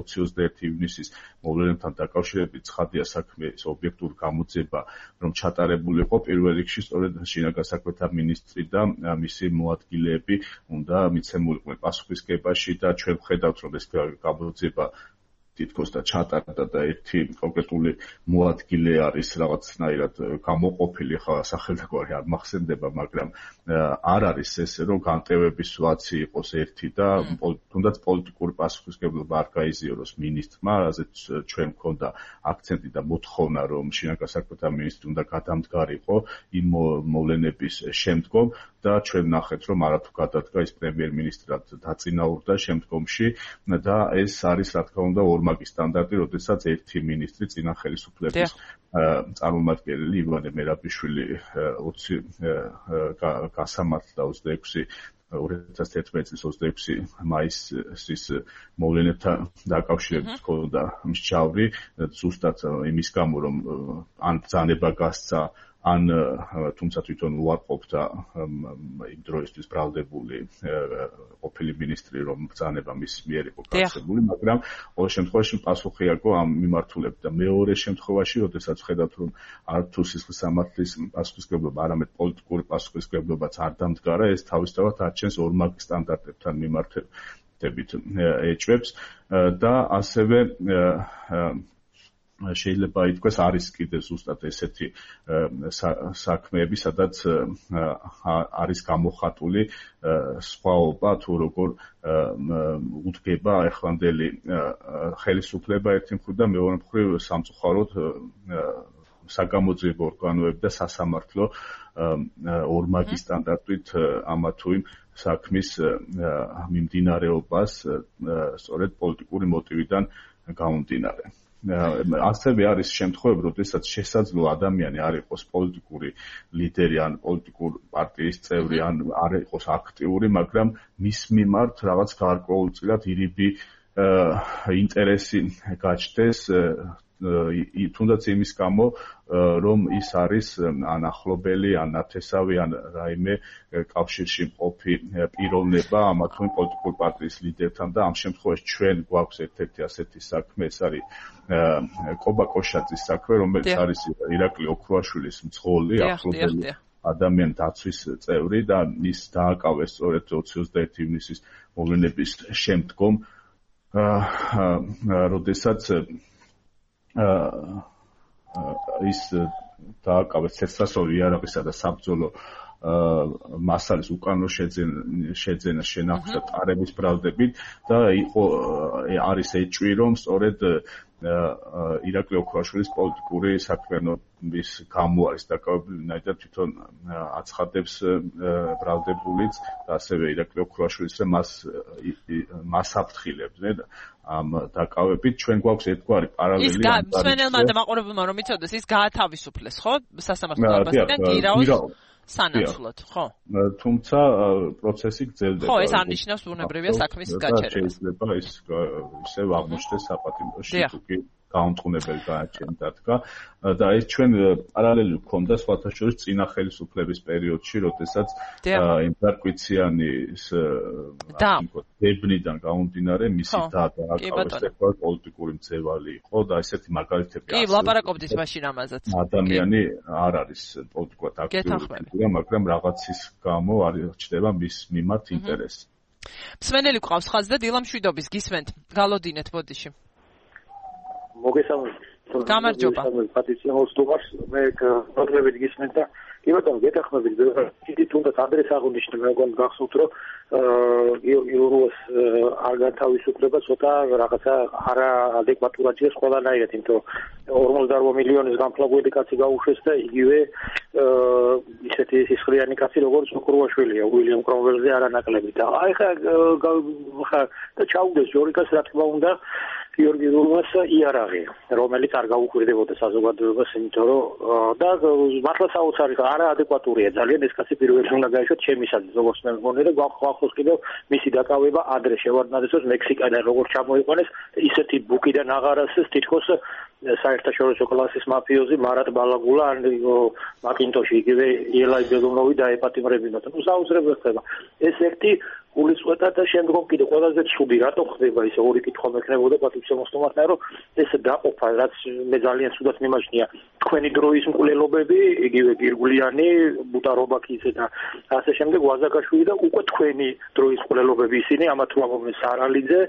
ოცი ოცდაერთი ივნისის მოვლენებთან დაკავშირებით ცხადია საქმის ობიექტური გამოძიება, რომ ჩატარებული იყო პირველ რიგში სწორედ შინაგან საქმეთა მინისტრი და მისი მოადგილეები უნდა მიცემულიყვნენ პასუხისმგებაში და ჩვენ ვხედავთ, რომ ეს გამოძიება თითქოს და ჩატარდა და ერთი კონკრეტული მოადგილე არის რაღაცნაირად გამოყოფილი, ხა სახელდაგვარი არ მახსენდება, მაგრამ არ არის ესე, რომ განტევების ვაცი იყოს ერთი და თუნდაც პოლიტიკური პასუხისმგებლობა არ გაიზიაროს მინისტრმა, რაზეც ჩვენ მქონდა აქცენტი და მოთხოვნა, რომ შინაგან საქმეთა მინისტრი უნდა გადამდგარიყო იმ მოვლენების შემდგომ და ჩვენ ნახეთ, რომ არათუ გადადგა ის პრემიერ-მინისტრად დაწინაურდა შემდგომში და ეს არის რა თქმა უნდა ორმაგი სტანდარტი, როდესაც ერთი მინისტრი წინა ხელისუფლების წარმომადგენელი ივანე მერაბიშვილი ოცი გასამართლა ოცდაექვსი ორი ათას თერთმეტი წლის ოცდაექვსი მაისის მოვლენებთან დაკავშირებით ჰქონდა მსჯავრი, ზუსტად იმის გამო, რომ ან ბრძანება გასცა, ან თუმცა თვითონ უარყოფდა იმ დროისთვის ბრალდებული ყოფილი მინისტრი, რომ ბრძანება მის მიერ იყო გასცემული, მაგრამ ყოველ შემთხვევაში პასუხი აქვს ამ მიმართულებით და მეორე შემთხვევაში, როდესაც ვხედავთ, რომ არ თუ სისხლის სამართლის პასუხისმგებლობა, არამედ პოლიტიკური პასუხისმგებლობაც არ დამდგარა, ეს თავისთავად არჩენს ორმაგი სტანდარტებთან მიმართებით ეჭვებს და ასევე შეიძლება ითქვას არის კიდე ზუსტად ესეთი საქმეები, სადაც არის გამოხატული სხვაობა თუ როგორ უდგება ახლანდელი ხელისუფლება ერთი მხრივ და მეორე მხრივ სამწუხაროდ საგამოძიებო ორგანოები და სასამართლო ორმაგი სტანდარტით ამა თუ იმ საქმის მიმდინარეობას სწორედ პოლიტიკური მოტივიდან გამომდინარე. ასევე არის შემთხვევები, როდესაც შესაძლოა ადამიანი არ იყოს პოლიტიკური ლიდერი ან პოლიტიკური პარტიის წევრი ან არ იყოს აქტიური, მაგრამ მის მიმართ რაღაც გარკვეულწილად ირიბი ინტერესი გაჩნდეს, თუნდაც იმის გამო, რომ ის არის ან ახლობელი, ან ნათესავი, ან რაიმე კავშირში მყოფი პიროვნება ამა თუ იმ პოლიტიკური პარტიის ლიდერთან და ამ შემთხვევაში ჩვენ გვაქვს ერთ-ერთი ასეთი საქმე, ეს არის კობა კოშაძის საქმე, რომელიც არის ირაკლი ოქროაშვილის მძღოლი, ახლობელი ადამიანი დაცვის წევრი და ის დააკავეს სწორედ ოცი ოცდაერთი ივნისის მოვლენების შემდგომ, როდესაც ის დააკავეს ცეცხლსასროლი იარაღისა და საბრძოლო მასალის უკანონო შეძენა შენახვის და ტარების ბრალდებით და იყო არის ეჭვი, რომ სწორედ ირაკლი ოქროაშვილის პოლიტიკური საქმიანობის გამო არის დაკავებული, ვინაიდან თვითონ აცხადებს ბრალდებულიც და ასევე ირაკლი ოქროაშვილის, რომ მას მას აფრთხილებდნენ ამ დაკავებით. ჩვენ გვაქვს ერთგვარი პარალელი. ის მსმენელმა და მაყურებელმა რომ იცოდეს, ის გაათავისუფლეს, ხო? სასამართლო დარბაზიდან გირაოს სანაცვლოდ, ხო? თუმცა პროცესი გრძელდება. ხო, ეს არნიშნავს ბუნებრივია საქმის გაჩერებას. შეიძლება ის ისევ აღმოჩნდეს საპატიმროში, თუკი გაუმტყუნებელი გააჩენს დადგა და ეს ჩვენ პარალელი გვქონდა სხვათა შორის წინა ხელისუფლების პერიოდში, როდესაც იმპერკვიციანის დებნიდან გამომდინარე მისი და დააკავეს პოლიტიკური მძევალი იყო და ესეთი მაგალითები კი, ვლაპარაკობდით მაშინ ამაზეც. ადამიანი არ არის პოლიტიკურად აქტიური, მაგრამ რაღაცის გამო არ ჩნდება მის მიმართ ინტერესი. მსმენელი გვყავს ხაზზე და დილა მშვიდობის გისმენთ. გალოდინეთ ბოდიში. მოგესალმებით. გამარჯობა. პატრიცია მოსტუმარს მე პროგრამებით გისმენთ და კი ბატონო, გეთანხმებით, დიდი თუნდაც ადრეს აღნიშნე, მე მგონი გახსოვთ, რომ გიორგი ლურუას არ განთავისუფლება ცოტა რაღაცა არაადეკვატურადია ყველანაირად, იმიტომ ორმოცდაოთხ მილიონის განფლაგული კაცი გაუშვეს და იგივე ისეთი სისხლიანი კაცი როგორც ოქროაშვილია, უილიამ კრომველზე არანაკლები და აი ხა და ჩაუდეს ჯორიკას რა თქმა უნდა გიორგი ლურუას იარაღი, რომელიც არ გაუკვირდებოდა საზოგადოებას, იმიტომ რომ და მართლა საოცარი არაადეკვატურია ძალიან ეს კაცი პირველი უნდა გაიშვათ ჩემისადმი, როგორც მე მგონი და გვახსოვს კიდევ მისი დაკავება ადრე შევარდნადეს მექსიკიდან როგორც ჩამოიყვანეს, ისეთი ბუკიდან აღარ ასეს თითქოს საერთაშორისო კლასის მაფიოზი მარატ ბალაგულა ან მაკინტოში იგივე ელაი ბეგონოვი დაეპატიმრებინათ. ნუ საუზრებლად ხდება. ეს ერთი გულისწყეთა და შემდგომ კიდე ყველაზე ცუდი რატო ხდება ისე ორი კითხვა მექნებოდა პატრიცია მოსტუმართან, რომ ეს დაყოფა, რაც მე ძალიან ცუდად მიმაჩნია, თქვენი დროის მკვლელობები, იგივე გირგულიანი, ბუტარობაქის და ასე შემდეგ, ვაზაკაშვილი და უკვე თქვენი დროის მკვლელობები ისინი, ამა თუ ამომეს არალიძე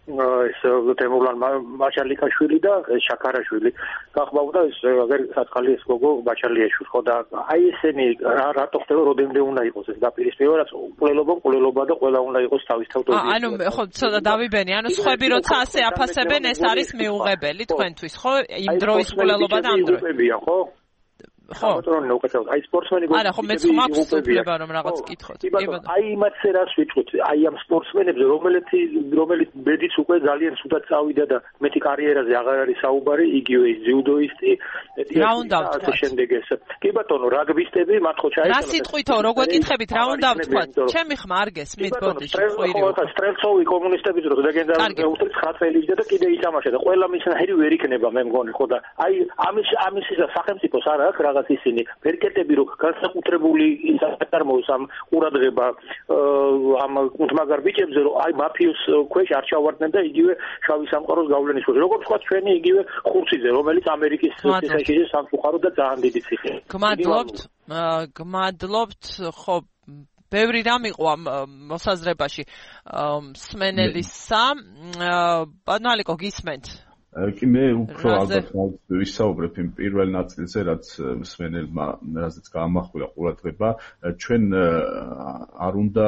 ეს თემურლან ბაჩალიკაშვილი და შაქარაშვილი გახმაურდა ეს აღარ საწყალი ეს გოგო ბაჩალიაშვილი ხო და აი ესენი რატო ხდება როდემდე უნდა იყოს ეს დაპირისპირება ყველობა ყველობა და ყველა უნდა იყოს თავის თავად ანუ ხო ცოტა დავიბენი ანუ სხვები როცა ასე აფასებენ ეს არის მიუღებელი თქვენთვის ხო იმ დროის ყველობა და ამ დროის ხო ხო ბატონო უკეთებთ აი სპორტსმენი არა ხო მეც მაქვს უფლება რომ რაღაც კითხოთ კი ბატონო აი იმათზე რას ვიტყვით აი ამ სპორტსმენებზე რომელიც რომელიც ბედიც უკვე ძალიან სუდად წავიდა და მეტი კარიერაზე აღარ არის საუბარი იგივე ის ძიუდოისტი რა უნდა ვთქვა შემდეგ ეს კი ბატონო რაგბისტები მათ ხო ჩაიწერა რა სიტყვით რო გეკითხებით რა უნდა ვთქვა ჩემი ხმა არ გესმით ბოდიში ხვირი სტრელცოვი კომუნისტები რო დაგენდა უთრით ცხრა წელი და კიდე ითამაშა და ყველა მისნაირი ვერ იქნება მე მგონი ხო და აი ამის ამის სახელმწიფოს არ აქვს რაღაც ისინი ფერკეტები რო განსაკუთრებული ინსტიტუტარმოს ამ ყურადღება ამ კუნთმაგარ ბიჭებზე რომ აი მაფიოს ქვეშ არ ჩავარდნენ და იგივე შავი სამყაროს გავლენის ქვეშ როგორც თქვა ჩვენი იგივე ხურციძე რომელიც ამერიკის ციხეში სამწუხარო და ძალიან დიდი ციხე გმადლობთ გმადლობთ ხო ბევრი რამ იყო ამ მოსაზრებაში მსმენელისა ბატონო ალიკო გისმენთ კი მე უფრო ალბათ ვისაუბრებ იმ პირველ ნაწილზე რაც მსმენელმა რაზეც გაამახვილა ყურადღება ჩვენ არ უნდა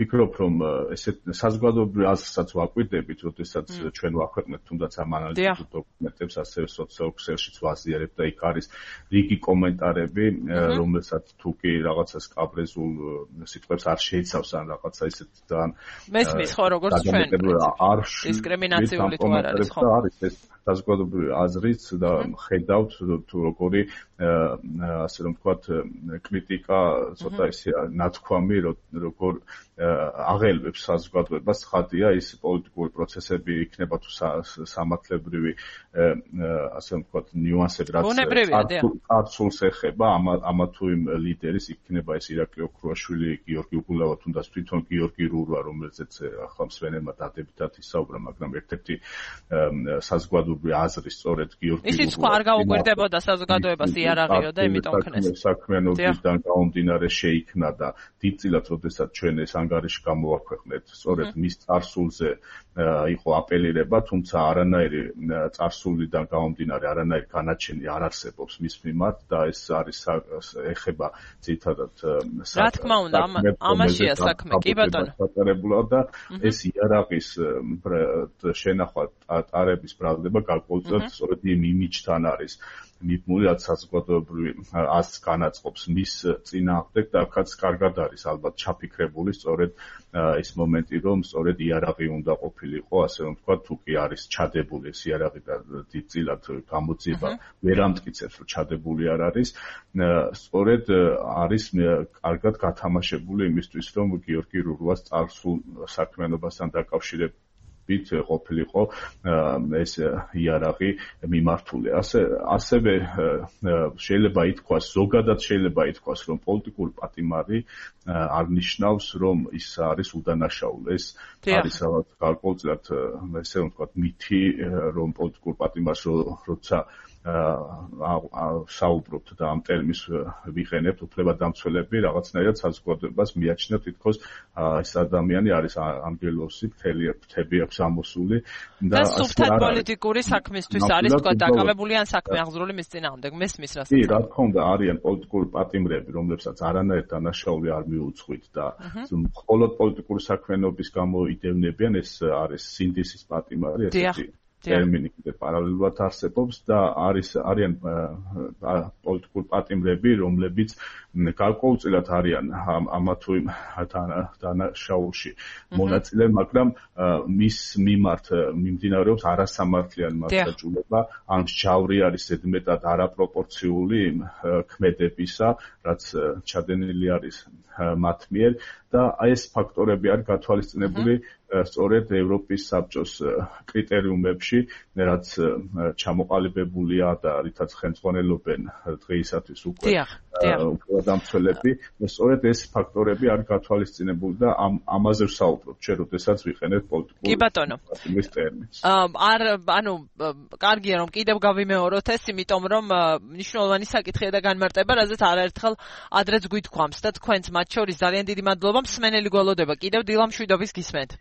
ვფიქრობ რომ ესეთ საზოგადოებრივ აზრსაც ვაკვირდებით, როდესაც ჩვენ ვაქვეყნებთ თუნდაც ამ ანალიტიკურ დოკუმენტებს, ასევე სოციალურ ქსელშიც ვაზიარებთ და იქ არის რიგი კომენტარები, რომელსაც თუ კი რაღაცა სკაბრეზულ სიტყვებს არ შეიცავს ან რაღაცა ისეთ ძალიან მესმის ხო როგორც ჩვენ დისკრიმინაციული თუ არ არის ხო არის ეს საზოგადოებრივი აზრიც და ხედავთ თუ როგორი ასე რომ ვთქვათ კრიტიკა ცოტა ისე ნათქვამი როგორ აღელვებს საზოგადოებას ხადია ის პოლიტიკური პროცესები იქნება თუ სამართლებრივი ასე რომ ვთქვათ ნიუანსები რაც წარსულს ეხება ამა თუ იმ ლიდერის იქნება ეს ირაკლი ოქრუაშვილი გიორგი უგულავა თუნდაც თვითონ გიორგი რურვა რომელზეც ახლა მსმენელმა დადებითად ისაუბრა მაგრამ ერთ-ერთი საზოგადოებრივი აზრი სწორედ გიორგი რურვა ისიც ხო არ გაუკვირდებოდა საზოგადოებას იარაღიო და იმიტომ ქნეს საქმიანობისგან გამომდინარე შეიქმნა და დიდწილად როდესაც ჩვენ ეს ანგარიში გამოვაქვეყნეთ სწორედ მის წარსულზე იყო აპელირება თუმცა არანაირი წარსულიდან გამომდინარე არანაირი განაჩენი არ არსებობს მის მიმართ და ეს არის ეხება ძირითადად რა თქმა უნდა ამაშია საქმე კი ბატონო და ეს იარაღის შენახვა ტარების ბრალდება გარკვეულწილად სწორედ იმ იმიჯთან არის მიბმული რაც საზოგადოებრივი აზრს განაწყობს მის წინააღმდეგ და აქაც კარგად არის ალბათ ჩაფიქრებული სწორედ ის მომენტი რომ სწორედ იარაღი უნდა ყოფილიყო ასე რომ თქვა თუ კი არის ჩადებული ეს იარაღი და დიდწილად გამოძიება ვერ ამტკიცებს რომ ჩადებული არ არის სწორედ არის კარგად გათამაშებული იმისთვის რომ გიორგი რურვას წარსულ საქმიანობასთან დაკავშირებით ყოფილიყო ეს იარაღი მიმართული. ასე ასევე შეიძლება ითქვას, ზოგადად შეიძლება ითქვას, რომ პოლიტიკური პატიმარი არ ნიშნავს, რომ ის არის უდანაშაული. ეს არის რაღაც გარკვეულწილად ესე რომ ვთქვათ, მითი, რომ პოლიტიკურ პატიმარს როცა საუბრობთ და ამ ტერმინს ვიყენებთ უფლებადამცველები რაღაცნაირად საზოგადოებას მიაჩნია თითქოს ეს ადამიანი არის ანგელოსი მთები აქვს ამოსული და სუფთად პოლიტიკური საქმისთვის არის თქვა დაკავებული ან საქმე აღზრული მის წინააღმდეგ მესმის რასაც კი რა თქმა უნდა არიან პოლიტიკური პატიმრები რომლებსაც არანაირ დანაშაული არ მიუძღვით და მხოლოდ პოლიტიკური საქმიანობის გამო იდევნებიან ეს არის სინდისის პატიმარი ესეთი ტერმინი კიდე პარალელურად არსებობს და არის არიან პოლიტიკურ პატიმრები, რომლებიც გარკვეულწილად არიან ამა თუ იმ დანაშაულში მონაწილე, მაგრამ მის მიმართ მიმდინარეობს არასამართლიანი მასშტაბურობა, ან მსჯავრი არის ზედმეტად არაპროპორციული ქმედებისა, რაც ჩადენილი არის მათ მიერ და აი ეს ფაქტორები არის გათვალისწინებული სწორედ ევროპის საბჭოს კრიტერიუმებში, რაც ჩამოყალიბებულია და რითაც ხელმძღვანელობენ დღეისათვის უკვე უფლებადამცველები, სწორედ ეს ფაქტორები არის გათვალისწინებული და ამ ამაზე ვსაუბრობ, ჩვენ როდესაც ვიყენებთ პოლიტიკურ კი ბატონო ტერმინს. არ ანუ კარგია რომ კიდევ გავიმეოროთ ეს, იმიტომ რომ მნიშვნელოვანი საკითხია და განმარტება, რაზეც არაერთხელ ადრეც გვითქვამს და თქვენც მათ შორის ძალიან დიდი მადლობა, მსმენელი გველოდება. კიდევ დილა მშვიდობის გისმენთ.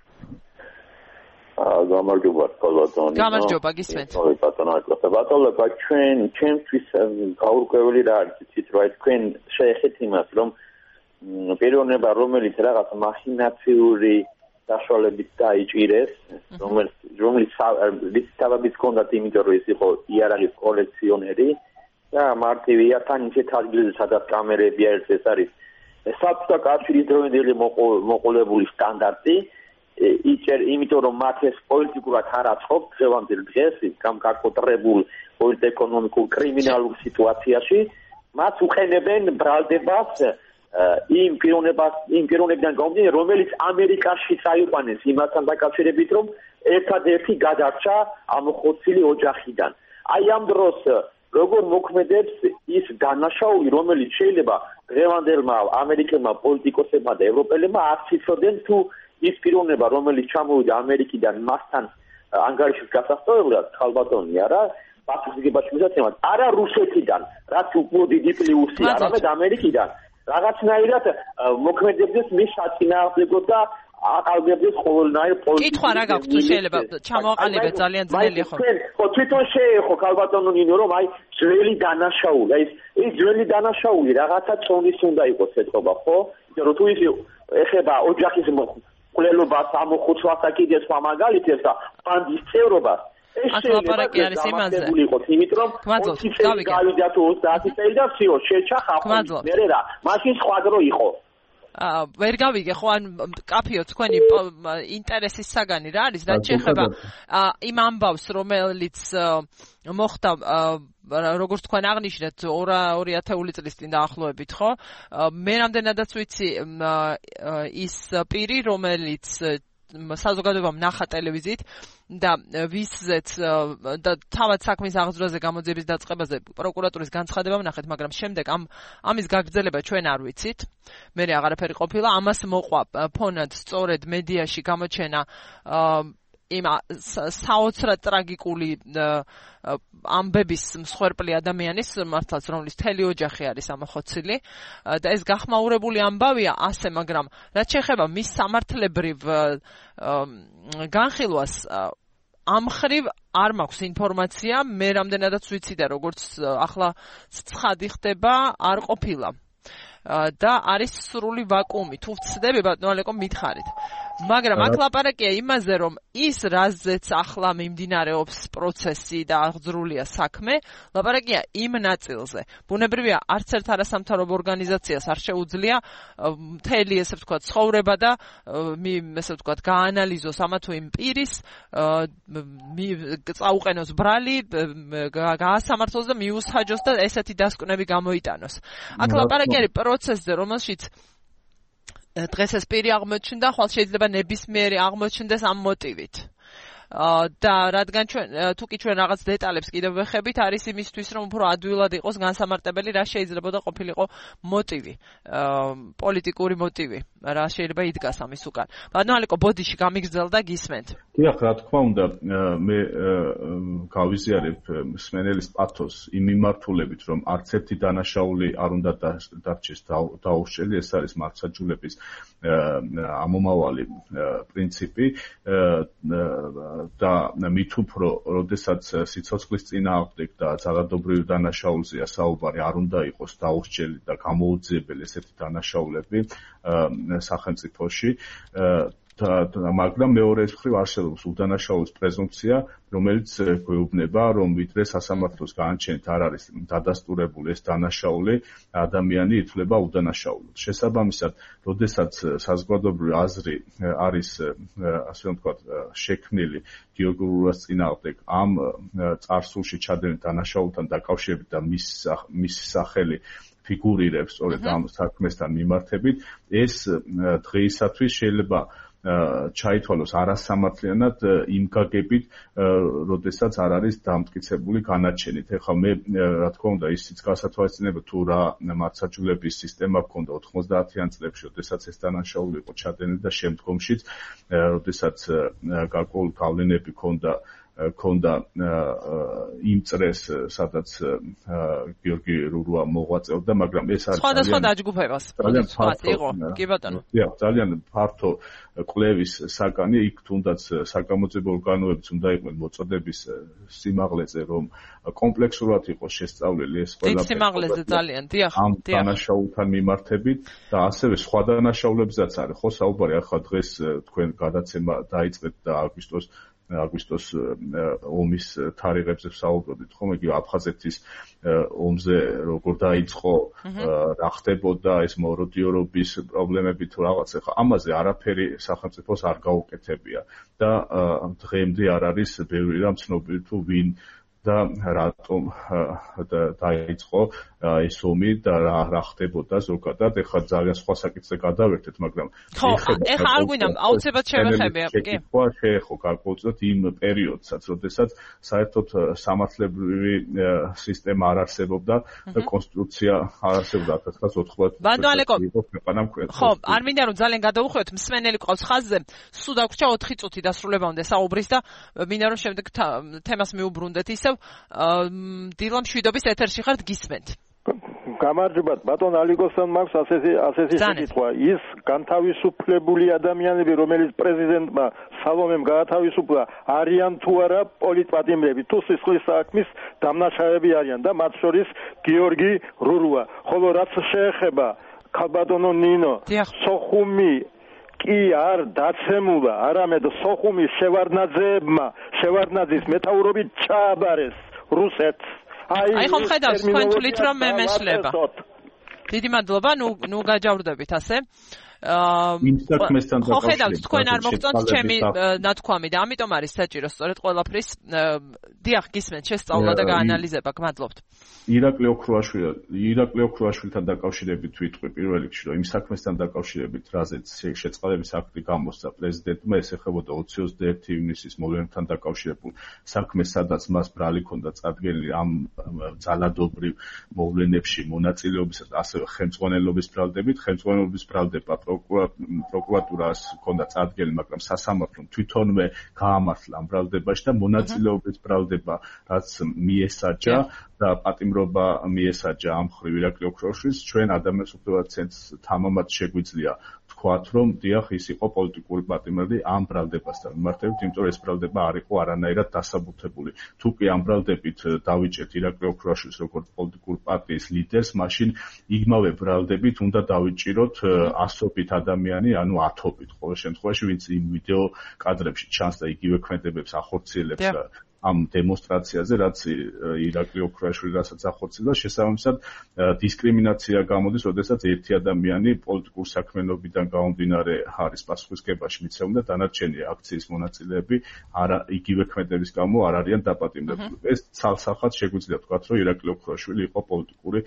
გამარჯობა ბატონო. გამარჯობა გისმენთ. oi ბატონო, ბატონო, ჩვენ ჩვენთვის გაურკვეველი რა არის იცით რა თქვენ შეეხეთ იმას რომ პიროვნება რომელიც რაღაც მახინაციური საშუალებით დაიჭირეს რომელიც რომელიც რისკავების კონდათ იმიტომ რომ ის იყო იარაღის კოლექციონერი და მარტივია თან ისეთ ადგილზე სადაც კამერები არის ეს არის საბჭოთა კავშირის დროინდელი მოყოლებული სტანდარტი იჭერ იმიტომ რომ მათ ეს პოლიტიკურად არ აწყობ დღევანდელ დღეს გამკარკოტრებულ პოლიტეკონომიკურ კრიმინალურ სიტუაციაში მათ უყენებენ ბრალდებას იმ პიროვნებას იმ პიროვნებიდან გამომდინარე რომელიც ამერიკაში წაიყვანეს იმასთან დაკავშირებით რომ ერთადერთი გადარჩა ამოხოცილი ოჯახიდან აი ამ დროს როგორ მოქმედებს ის დანაშაული რომელიც შეიძლება დღევანდელმა ამერიკელმა პოლიტიკოსებმა და ევროპელებმა არ ციცოდნენ თუ ის პიროვნება რომელიც ჩამოვიდა ამერიკიდან მასთან ანგარიშის გასასწორებლად ხალბატონია რა პასუხისგებაში მისაცემად არა რუსეთიდან რაც უფრო დიდი პლუსი არამედ ამერიკიდან რაღაცნაირად მოქმედებდეს მის საწინააღმდეგო და აყალბებდეს ყოველნაირ პოლიტიკურ კითხვა რა გაქვთ თუ შეიძლება ჩამოაყალიბეთ ძალიან ძნელი ხო ხო თვითონ შეეხო ხალბატონო ნინო რომ აი ძველი დანაშაული აი ეს ძველი დანაშაული რაღაცა წონის უნდა იყოს ეთქობა ხო იმიტომ რომ თუ ის ეხება ოჯახის მკვლელობას ამოხოცვას და კიდე სხვა მაგალითებს და ბანდის წევრობას ეს ლაპარაკი არის იმაზე იყოს იმით რომ ოცი წელი გავიდა თუ ოცდაათი წელი და всё შეჩა ხალხი მე რა მაშინ სხვა დრო იყო აა ვერ გავიგე ხო ან კაფეო თქვენი ინტერესის საგანი რა არის რაც შეეხება იმ ამბავს რომელიც მოხდა როგორც თქვენ აღნიშნეთ ორი ათეული წლის წინ დაახლოებით ხო მე რამდენადაც ვიცი ის პირი რომელიც საზოგადოებამ ნახა ტელევიზიით და ვისზეც და თავად საქმის აღძვრაზე გამოძიების დაწყებაზე პროკურატურის განცხადება ვნახეთ, მაგრამ შემდეგ ამ ამის გაგრძელება ჩვენ არ ვიცით. მე აღარაფერი ყოფილა, ამას მოყვა ფონად სწორედ მედიაში გამოჩენა იმ საოცრად ტრაგიკული ამბების მსხვერპლი ადამიანის მართლაც რომლის მთელი ოჯახი არის ამოხოცილი და ეს გახმაურებული ამბავია ასე, მაგრამ რაც შეეხება მის სამართლებრივ განხილვას ამ ხრივ არ მაქვს ინფორმაცია, მე რამდენადაც ვიცი და როგორც ახლა ცხადი ხდება არ ყოფილა და არის სრული ვაკუუმი. თუ ვცდები ბატონო ალეკო მითხარით. მაგრამ აქ ლაპარაკია იმაზე, რომ ის რაზეც ახლა მიმდინარეობს პროცესი და აღძრულია საქმე, ლაპარაკია იმ ნაწილზე. ბუნებრივია, არც ერთ არასამთავრობო ორგანიზაციას არ შეუძლია მთელი ესე ვთქვათ ცხოვრება და ესე ვთქვათ გაანალიზოს ამა თუ იმ პირის წაუყენოს ბრალი, გაასამართლოს და მიუსაჯოს და ესეთი დასკვნები გამოიტანოს. აქ ლაპარაკი არის პროცესზე, რომელშიც დღეს ეს პირი აღმოჩნდა, ხვალ შეიძლება ნებისმიერი აღმოჩნდეს ამ მოტივით. და რადგან ჩვენ თუ კი ჩვენ რაღაც დეტალებს კიდევ ვეხებით, არის იმისთვის, რომ უფრო ადვილად იყოს განსამარტებელი, რა შეიძლება და ყოფილიყო მოტივი, პოლიტიკური მოტივი, რა შეიძლება იდგას ამის უკან. ბატონო ალეკო, ბოდიში გამიგრძელდა გისმენთ. დიახ, რა თქმა უნდა, მე გავიზიარებ მსმენელის პათოს იმ მიმართულებით, რომ არც ერთი დანაშაული არ უნდა დარჩეს დაურჩელი, ეს არის მართლმსაჯულების ამომავალი პრინციპი და მით უფრო, როდესაც სიცოცხლის წინააღმდეგ და ძალადობრივ დანაშაულზეა საუბარი, არ უნდა იყოს დაურჩელი და გამოუძიებელი ესეთი დანაშაულები სახელმწიფოში. მაგრამ მეორეს მხრივ არსებობს უდანაშაულის პრეზუმპცია, რომელიც გვეუბნება, რომ ვიდრე სასამართლოს განაჩენით არ არის დადასტურებული ეს დანაშაული, ადამიანი ითვლება უდანაშაულოდ. შესაბამისად, როდესაც საზოგადოებრივი აზრი არის, ასე ვთქვათ, შექმნილი გიორგულას წინააღმდეგ ამ წარსულში ჩადენილ დანაშაულთან დაკავშირებით და მის მის სახელი ფიგურირებს სწორედ ამ საქმესთან მიმართებით, ეს დღეისათვის შეიძლება ჩაითვალოს არასამართლიანად იმ გაგებით, როდესაც არ არის დამტკიცებული განაჩენით. ეხლა მე რა თქმა უნდა ისიც გასათვალისწინებელია თუ რა მართლმსაჯულების სისტემა გქონდა ოთხმოცდაათიან წლებში, როდესაც ეს დანაშაული იყო ჩადენილი და შემდგომშიც, როდესაც გარკვეული გავლენები ჰქონდა ქონდა იმ წრეს, სადაც გიორგი რურუა მოღვაწეობდა, მაგრამ ეს არის სხვადასხვა დაჯგუფებას. ძალიან ფართო იყო. კი ბატონო. დიახ, ძალიან ფართო კვლევის საგანი, იქ თუნდაც საგამოძიებო ორგანოებიც უნდა იყვნენ მოწოდების სიმაღლეზე, რომ კომპლექსურად იყოს შესწავლილი ეს ყველაფერი. დიდ სიმაღლეზე ძალიან, დიახ, ამ დიახ. დანაშაულთან მიმართებით და ასევე სხვა დანაშაულებზეც არის, ხო, საუბარი ახლა დღეს თქვენ გადაცემა დაიწყეთ და აგვისტოს აგვისტოს ომის თარიღებზე ვსაუბრობთ, ხომ, იგი აფხაზეთის ომზე როგორ დაიწყო, რა ხდებოდა ეს მოროდიორობის პრობლემები თუ რაღაც, ახლა ამაზე არაფერი სახელმწიფოს არ გაუკეთებია და დღემდე არ არის ბევრი რამ ცნობილი თუ ვინ და რატომ დაიწყო ეს ომი და რა რა ხდებოდა ზოგადად. ეხლა ძალიან სხვა საკითხზე გადავერთეთ, მაგრამ ხო, ეხლა არ გვინდა აუცილებლად შევეხებია, კი. ხო, შეეხო გარკვეულწილად იმ პერიოდსაც, როდესაც საერთოდ სამართლებრივი სისტემა არ არსებობდა და კონსტიტუცია არ არსებობდა ათას ცხრაასი ოცდაოთხ წელს. ხო, არ მინდა რომ ძალიან გადავუხვევთ, მსმენელი ყავს ხაზზე, სულ დაგვრჩა ოთხი წუთი დასრულებამდე საუბრის და მინდა რომ შემდეგ თემას მიუბრუნდეთ ისევ დილა მშვიდობის ეთერში ხართ, გისმენთ. გამარჯობათ, ბატონ ალიკოსთან მაქვს ასეთი ასეთი საკითხვა. ის განთავისუფლებული ადამიანები, რომელიც პრეზიდენტმა სალომემ გაათავისუფლა, არიან თუ არა პოლიტპატიმრები, თუ სისხლის საქმის დამნაშავეები არიან და მათ შორის გიორგი რურუა. ხოლო რაც შეეხება ქალბატონო ნინო, სოხუმი კი არ დაცემულა, არამედ სოხუმის შევარდნაძეებმა, შევარდნაძის მეთაურობით ჩააბარეს რუსეთს. აი ხომ ხედავს თქვენ თulit რომ მე მეშლება. დიდი მადლობა, ნუ ნუ გაჯავრდებით ასე. აა ხო ხედავთ თქვენ არ მოგწონთ ჩემი ნათქვამი და ამიტომ არის საჭირო სწორედ ყველაფრის დიახ გისმენთ შესწავლა და გაანალიზება. გმადლობთ. ირაკლი ოქროაშვილი ირაკლი ოქროაშვილთან დაკავშირებით ვიტყვი პირველ რიგში, რომ იმ საქმესთან დაკავშირებით, რაზეც შეწყალების აქტი გამოსცა პრეზიდენტმა, ეს ეხებოდა ოცდაერთი ივნისის მოვლენებთან დაკავშირებულ საქმეს, სადაც მას ბრალი ჰქონდა წარდგენილი ამ ძალადობრივ მოვლენებში მონაწილეობისა და ასევე ხელმძღვანელობის ბრალდებით. ხელმძღვანელობის ბრალდება პროკურატურას ჰქონდა წარდგენილი, მაგრამ სასამართლომ თვითონვე გაამართლა ამ ბრალდებაში და მონაწილეობის ბრალდება, რაც მიესაჯა და პატიმრობა მიესაჯა ამ მხრივ ირაკლი ოქროაშვილს. ჩვენ ადამიანის უფლებათა ცენტრს თამამად შეგვიძლია თქვათ, რომ დიახ, ის იყო პოლიტიკური პატიმრები ამ ბრალდებასთან მიმართებით, იმიტომ რომ ეს ბრალდება არ იყო არანაირად დასაბუთებული. თუ კი ამ ბრალდებით დავიჭერთ ირაკლი ოქროაშვილს როგორც პოლიტიკური პარტიის ლიდერს, მაშინ იმავე ბრალდებით უნდა დავიჭიროთ ასობით ადამიანი, ანუ ათობით ყოველ შემთხვევაში, ვინც იმ ვიდეო კადრებში ჩანს და იგივე ქმედებებს ახორციელებს ამ დემონსტრაციაზე, რაც ირაკლი ოქროაშვილი რასაც ახორციელდა, შესაბამისად დისკრიმინაცია გამოდის, როდესაც ერთი ადამიანი პოლიტიკურ საქმიანობიდან გამომდინარე არის პასუხისმგებაში მიცემული და დანარჩენი აქციის მონაწილეები არა იგივე ქმედების გამო არ არიან დაპატიმრებული. ეს ცალსახად შეგვიძლია ვთქვათ, რომ ირაკლი ოქროაშვილი იყო პოლიტიკური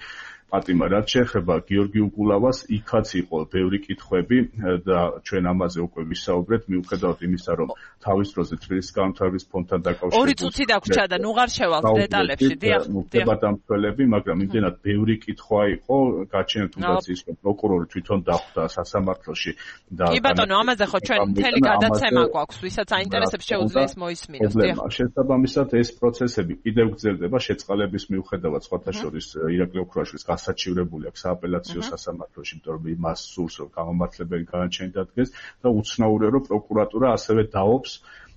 პატიმარი. რაც შეეხება გიორგი უკულავას, იქაც იყო ბევრი კითხვები და ჩვენ ამაზე უკვე ვისაუბრეთ, მიუხედავად იმისა, რომ თავის დროზე თბილისის განვითარების ფონდთან დაკავშირებით ორი წუთი დაგვრჩა და ნუ ღარ შევალთ დეტალებში, დიახ, დიახ. დამცველები, მაგრამ იმდენად ბევრი კითხვა იყო, გაჩენილ თუნდაც ის, რომ პროკურორი თვითონ დახვდა სასამართლოში და კი ბატონო, ამაზე ხო ჩვენ მთელი გადაცემა გვაქვს, ვისაც აინტერესებს შეუძლია ეს მოისმინოს, დიახ. შესაბამისად ეს პროცესები კიდევ გრძელდება შეწყალების მიუხედავად, სხვათა შორის ირაკლი ოქროაშვილის გასაჩივრებული აქვს სააპელაციო სასამართლოში, იმიტომ რომ იმას სურს, რომ გამომართლებელი განაჩენი დადგეს და უცნაურია, რომ პროკურატურა ასევე დაობს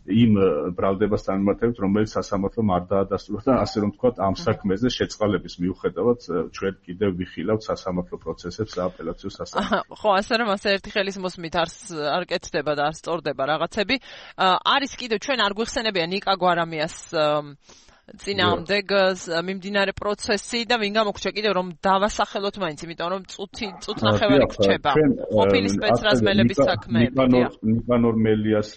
იმ ბრალდებასთან მიმართებით, რომელიც სასამართლომ არ დაადასტურა და ასე რომ ვთქვათ, ამ საქმეზე შეწყალების მიუხედავად ჩვენ კიდევ ვიხილავთ სასამართლო პროცესებს სააპელაციო სასამართლოში. ხო, ასე რომ ასე ერთი ხელის მოსმით არ არ კეთდება და არ სწორდება რაღაცები. არის კიდევ ჩვენ არ გვიხსენებია ნიკა გვარამიას წინააღმდეგ მიმდინარე პროცესი და ვინ გამოგრჩა კიდევ რომ დავასახელოთ მაინც, იმიტომ რომ წუთი წუთნახევარი გრჩება ყოფილი სპეცრაზმელების საქმეები. ნიკანორ მელიას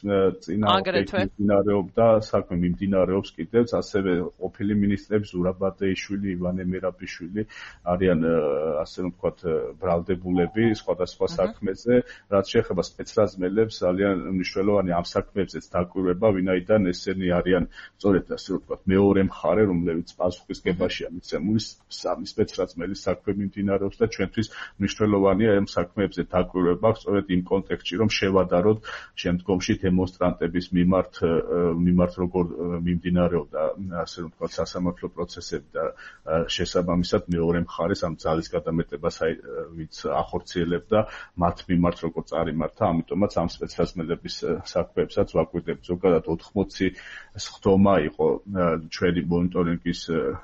წინააღმდეგ მიმდინარეობდა საქმე მიმდინარეობს კიდევ, ასევე ყოფილი მინისტრები ზურაბადეიშვილი, ივანე მერაბიშვილი არიან ასე რომ ვთქვათ ბრალდებულები სხვადასხვა საქმეზე. რაც შეეხება სპეცრაზმელებს, ძალიან მნიშვნელოვანი ამ საქმეებზეც დაკვირვება, ვინაიდან ესენი არიან სწორედ ასე რომ ვთქვათ მეორე მეორე მხარე, რომლებიც პასუხისგებაშია მიცემული სამი სპეცრაზმელის საქმე მიმდინარეობს და ჩვენთვის მნიშვნელოვანია ამ საქმეებზე დაკვირვება სწორედ იმ კონტექსტში, რომ შევადაროთ შემდგომში დემონსტრანტების მიმართ მიმართ როგორ მიმდინარეობდა ასე რომ ვთქვათ სასამართლო პროცესები და შესაბამისად მეორე მხარეს ამ ძალის გადამეტებას ვინც ახორციელებდა მათ მიმართ როგორ წარიმართა, ამიტომაც ამ სპეცრაზმელების საქმეებსაც ვაკვირდებთ. ზოგადად ოთხმოცი სხდომა იყო ჩვენი მონიტორინგის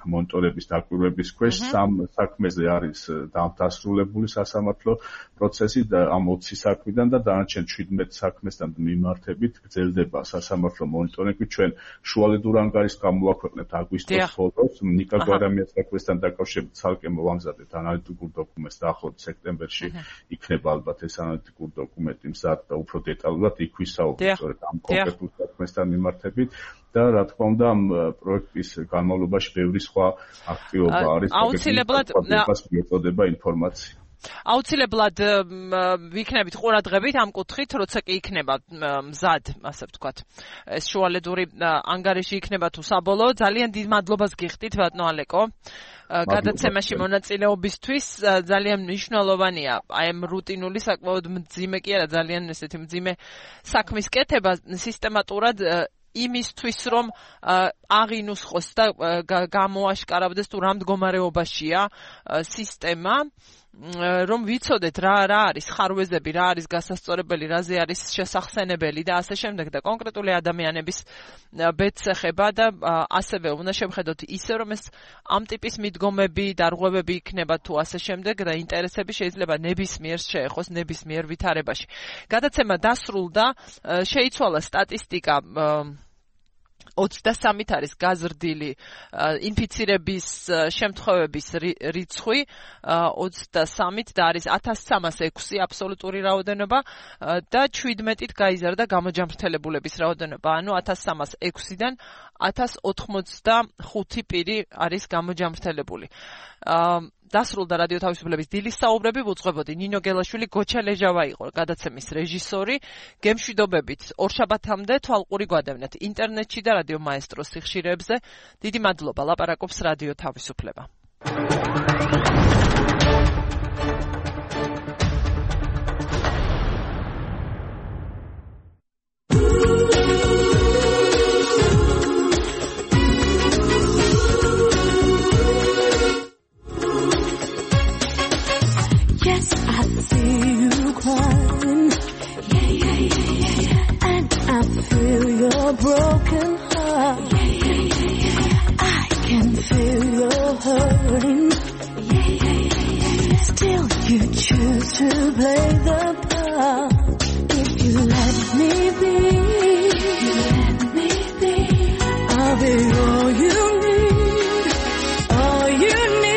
მონიტორების დაკვირვების ქვეშ, სამ საქმეზე არის დასრულებული სასამართლო პროცესი და ამ ოცი საქმიდან და დანარჩენ შვიდმეტ საქმესთან მიმართებით გრძელდება სასამართლო მონიტორინგი. ჩვენ შუალედ ურანგარის გამოვაქვეყნებთ აგვისტოს ბოლოს, ნიკა გვარამიას საქმესთან დაკავშირებით ცალკე მოვამზადეთ ანალიტიკურ დოკუმენტს და ახლობით სექტემბერში იქნება ალბათ ეს ანალიტიკური დოკუმენტი მზად და უფრო დეტალურად იქ ვისაუბრებთ სწორედ ამ კონკრეტულ საქმესთან მიმართებით. და რა თქმა უნდა ამ პროექტის განმავლობაში ბევრი სხვა აქტივობა არის. აუცილებლად მიეწოდება ინფორმაცია. აუცილებლად ვიქნებით ყურადღებით ამ კუთხით, როცა კი იქნება მზად, ასე ვთქვათ, ეს შუალედური ანგარიში იქნება თუ საბოლოო. ძალიან დიდ მადლობას გიხდით ბატონო ალეკო. გადაცემაში მონაწილეობისთვის ძალიან მნიშვნელოვანია აი ამ რუტინული საკმაოდ მძიმე კი არა ძალიან ესეთი მძიმე საქმის კეთება სისტემატურად იმისთვის რომ აღინუსხოს და გამოაშკარავდეს თუ რა მდგომარეობაშია სისტემა რომ ვიცოდეთ რა რა არის ხარვეზები, რა არის გასასწორებელი, რაზე არის შესახსენებელი და ასე შემდეგ და კონკრეტული ადამიანების ბედს-ეხება და ასევე უნდა შევხედოთ ისე რომ ეს ამ ტიპის მიდგომები, დარღვევები იქნება თუ ასე შემდეგ და ინტერესები შეიძლება ნებისმიერს შეეხოს ნებისმიერ ვითარებაში. გადაცემა დასრულდა, შეიცვალა სტატისტიკა ოცდასამით არის გაზრდილი ინფიცირების შემთხვევების რიცხვი ოცდასამით და არის ათას სამას ექვსი აბსოლუტური რაოდენობა და შვიდმეტით გაიზარდა გამოჯამრთელებულების რაოდენობა, ანუ ათას სამას ექვსიდან ათას ოცდახუთი პირი არის გამოჯამრთელებული. დასრულდა რადიო თავისუფლების დილის საუბრები, ვუძღვებოდი ნინო გელაშვილი, გოჩა ლეჟავა იყო გადაცემის რეჟისორი. გემშვიდობებით ორშაბათამდე თვალყური გვადევნეთ ინტერნეტში და რადიო მაესტროს სიხშირეებზე. დიდი მადლობა, ლაპარაკობს რადიო თავისუფლება. Yes, I see you crying. Yeah, yeah, yeah, yeah, yeah. And I feel your broken heart. Yeah, yeah, yeah, yeah. I can feel your hurting. Yeah, yeah, yeah, yeah. Still, you choose to play the part. If you let me be, you let me be. I'll be all you need, all you need.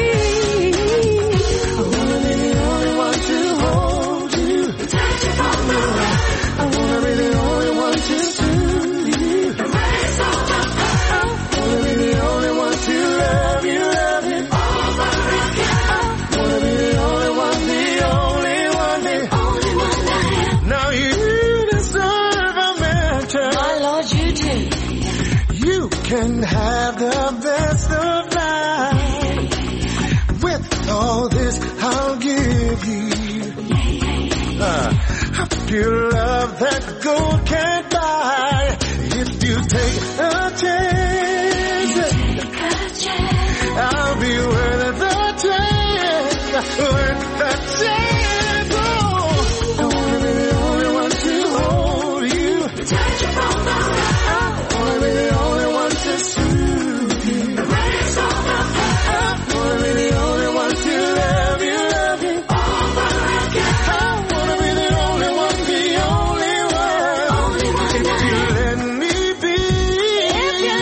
Can have the best of life. With all this I'll give you uh, a pure love that gold can't buy. If you take a chance, I'll be worth the chance, worth the chance. Oh, I wanna be the only one to hold you, touch you from the right. I wanna be the only one to soothe you. Raise all the fire. I wanna be the only one to love you, love you all but again. I wanna be the only one, the only one. Only one. If you let me be, if you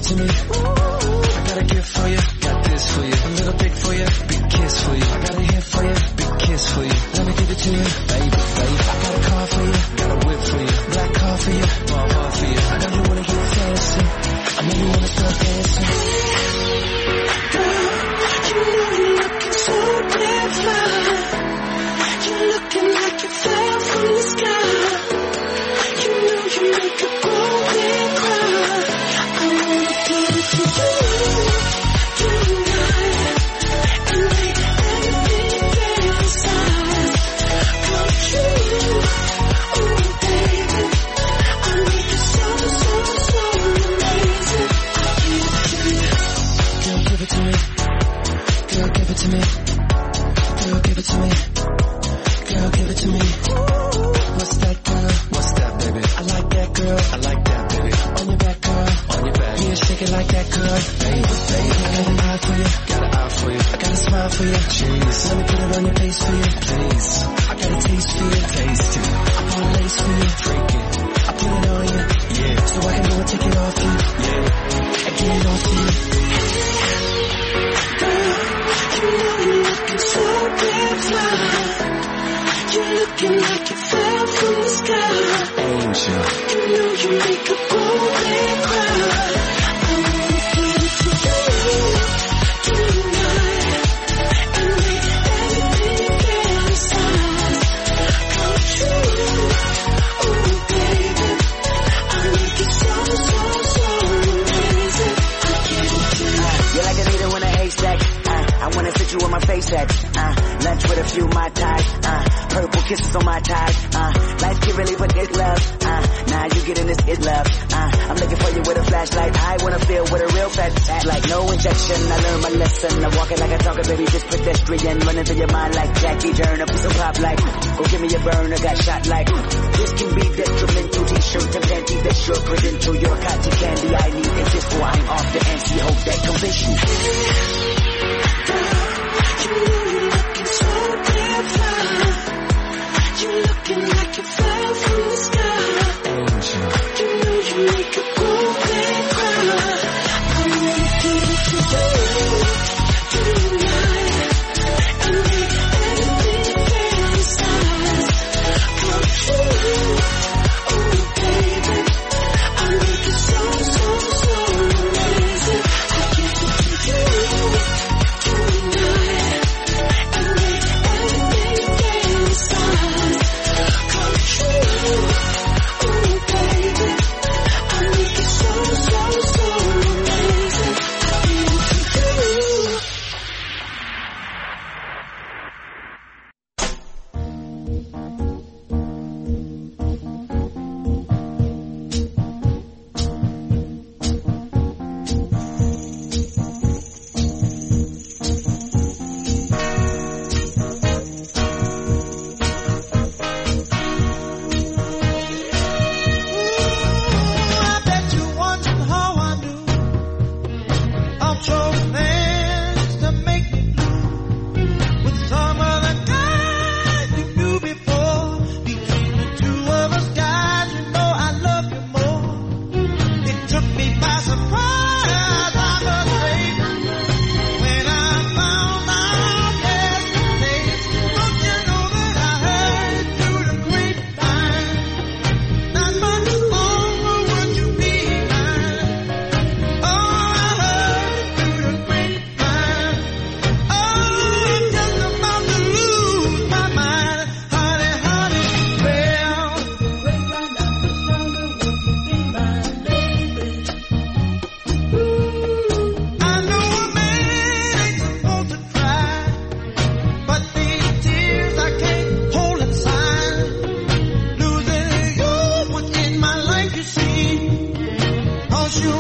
it to me. I got a gift for you, got this for you. A little dick for you, big kiss for you. I got a hit for you, big kiss for you. Let me give it to you, baby, baby. I got a car for you, got a whip for you. Black car for you, my heart for you. I know you wanna get fancy, I know you wanna start dancing. Girl, you know you're looking so damn fine. You're looking like you fell from the sky. You know you make a grown man cry. I wanna give it to you tonight and make everything fantasize come true. Oh baby, I make it so so so amazing. I give it to you. Girl, give it to me. Girl, give it to me. Girl, give it to me. Girl, give it to me. What's that, girl? What's that, baby? I like that, girl. I like that, baby. On your back, girl. On your back. Yeah, shake it like that, girl. Baby, baby. I got an eye for you. Got an eye for you. I got a smile for you. Jeez. Let me put it on your face for you. Please. I got a taste for you. Taste it. I put a lace for you. Freak it. I put it on you. Yeah. So I can go and take it off you. Yeah. And get it off you. Girl, you know you're looking so damn fine. You're looking like you fell from the sky. Angel. You know you make a grown man cry. I wanna give it to you tonight and make everything fantasize come true. Oh baby, I make it so so so amazing. I give it to you. You're like a needle in a haystack. Uh, I wanna fit you where my face at. Uh, lunch with a few my ties. Uh, purple kisses on my ties. Uh, life can really put this love. Uh, now you getting this is love. Uh, I'm looking for you with a flashlight. I wanna feel with a real fat fat like no injection. I learned my lesson. I'm walking like a talker, baby, just pedestrian. Running through your mind like Jackie Turner. So pop like, go give me a burner. Got shot like, this can be detrimental. T-shirt and panty, that's your credential. You're cotton candy. I need it just before I'm off the N C. Hope that convince you. You know you're looking so damn fine. You're looking like you fell from the sky. Angel. You know you make a grown man cry. I wanna give it to you tonight and make everything fantasize come true. Oh baby, I make it so so so amazing. I give it to you tonight and make everything fantasize come true. Oh baby, I make it so so so amazing. I give it to you. I bet you wondering how I knew of trouble plans to make me blue with some other guy you knew before. Between the two of us, guys, you know I love you more. It took me by surprise, I must say, when I found out yesterday. Don't you know that I heard through the grapevine? Not much longer would you be mine. Oh, I heard through the grapevine. Oh, I'm just about to lose my mind. Honey, honey, well, I know a man ain't supposed to cry, but these tears I can't hold inside. Losing you was in my life, you see. 'Cause you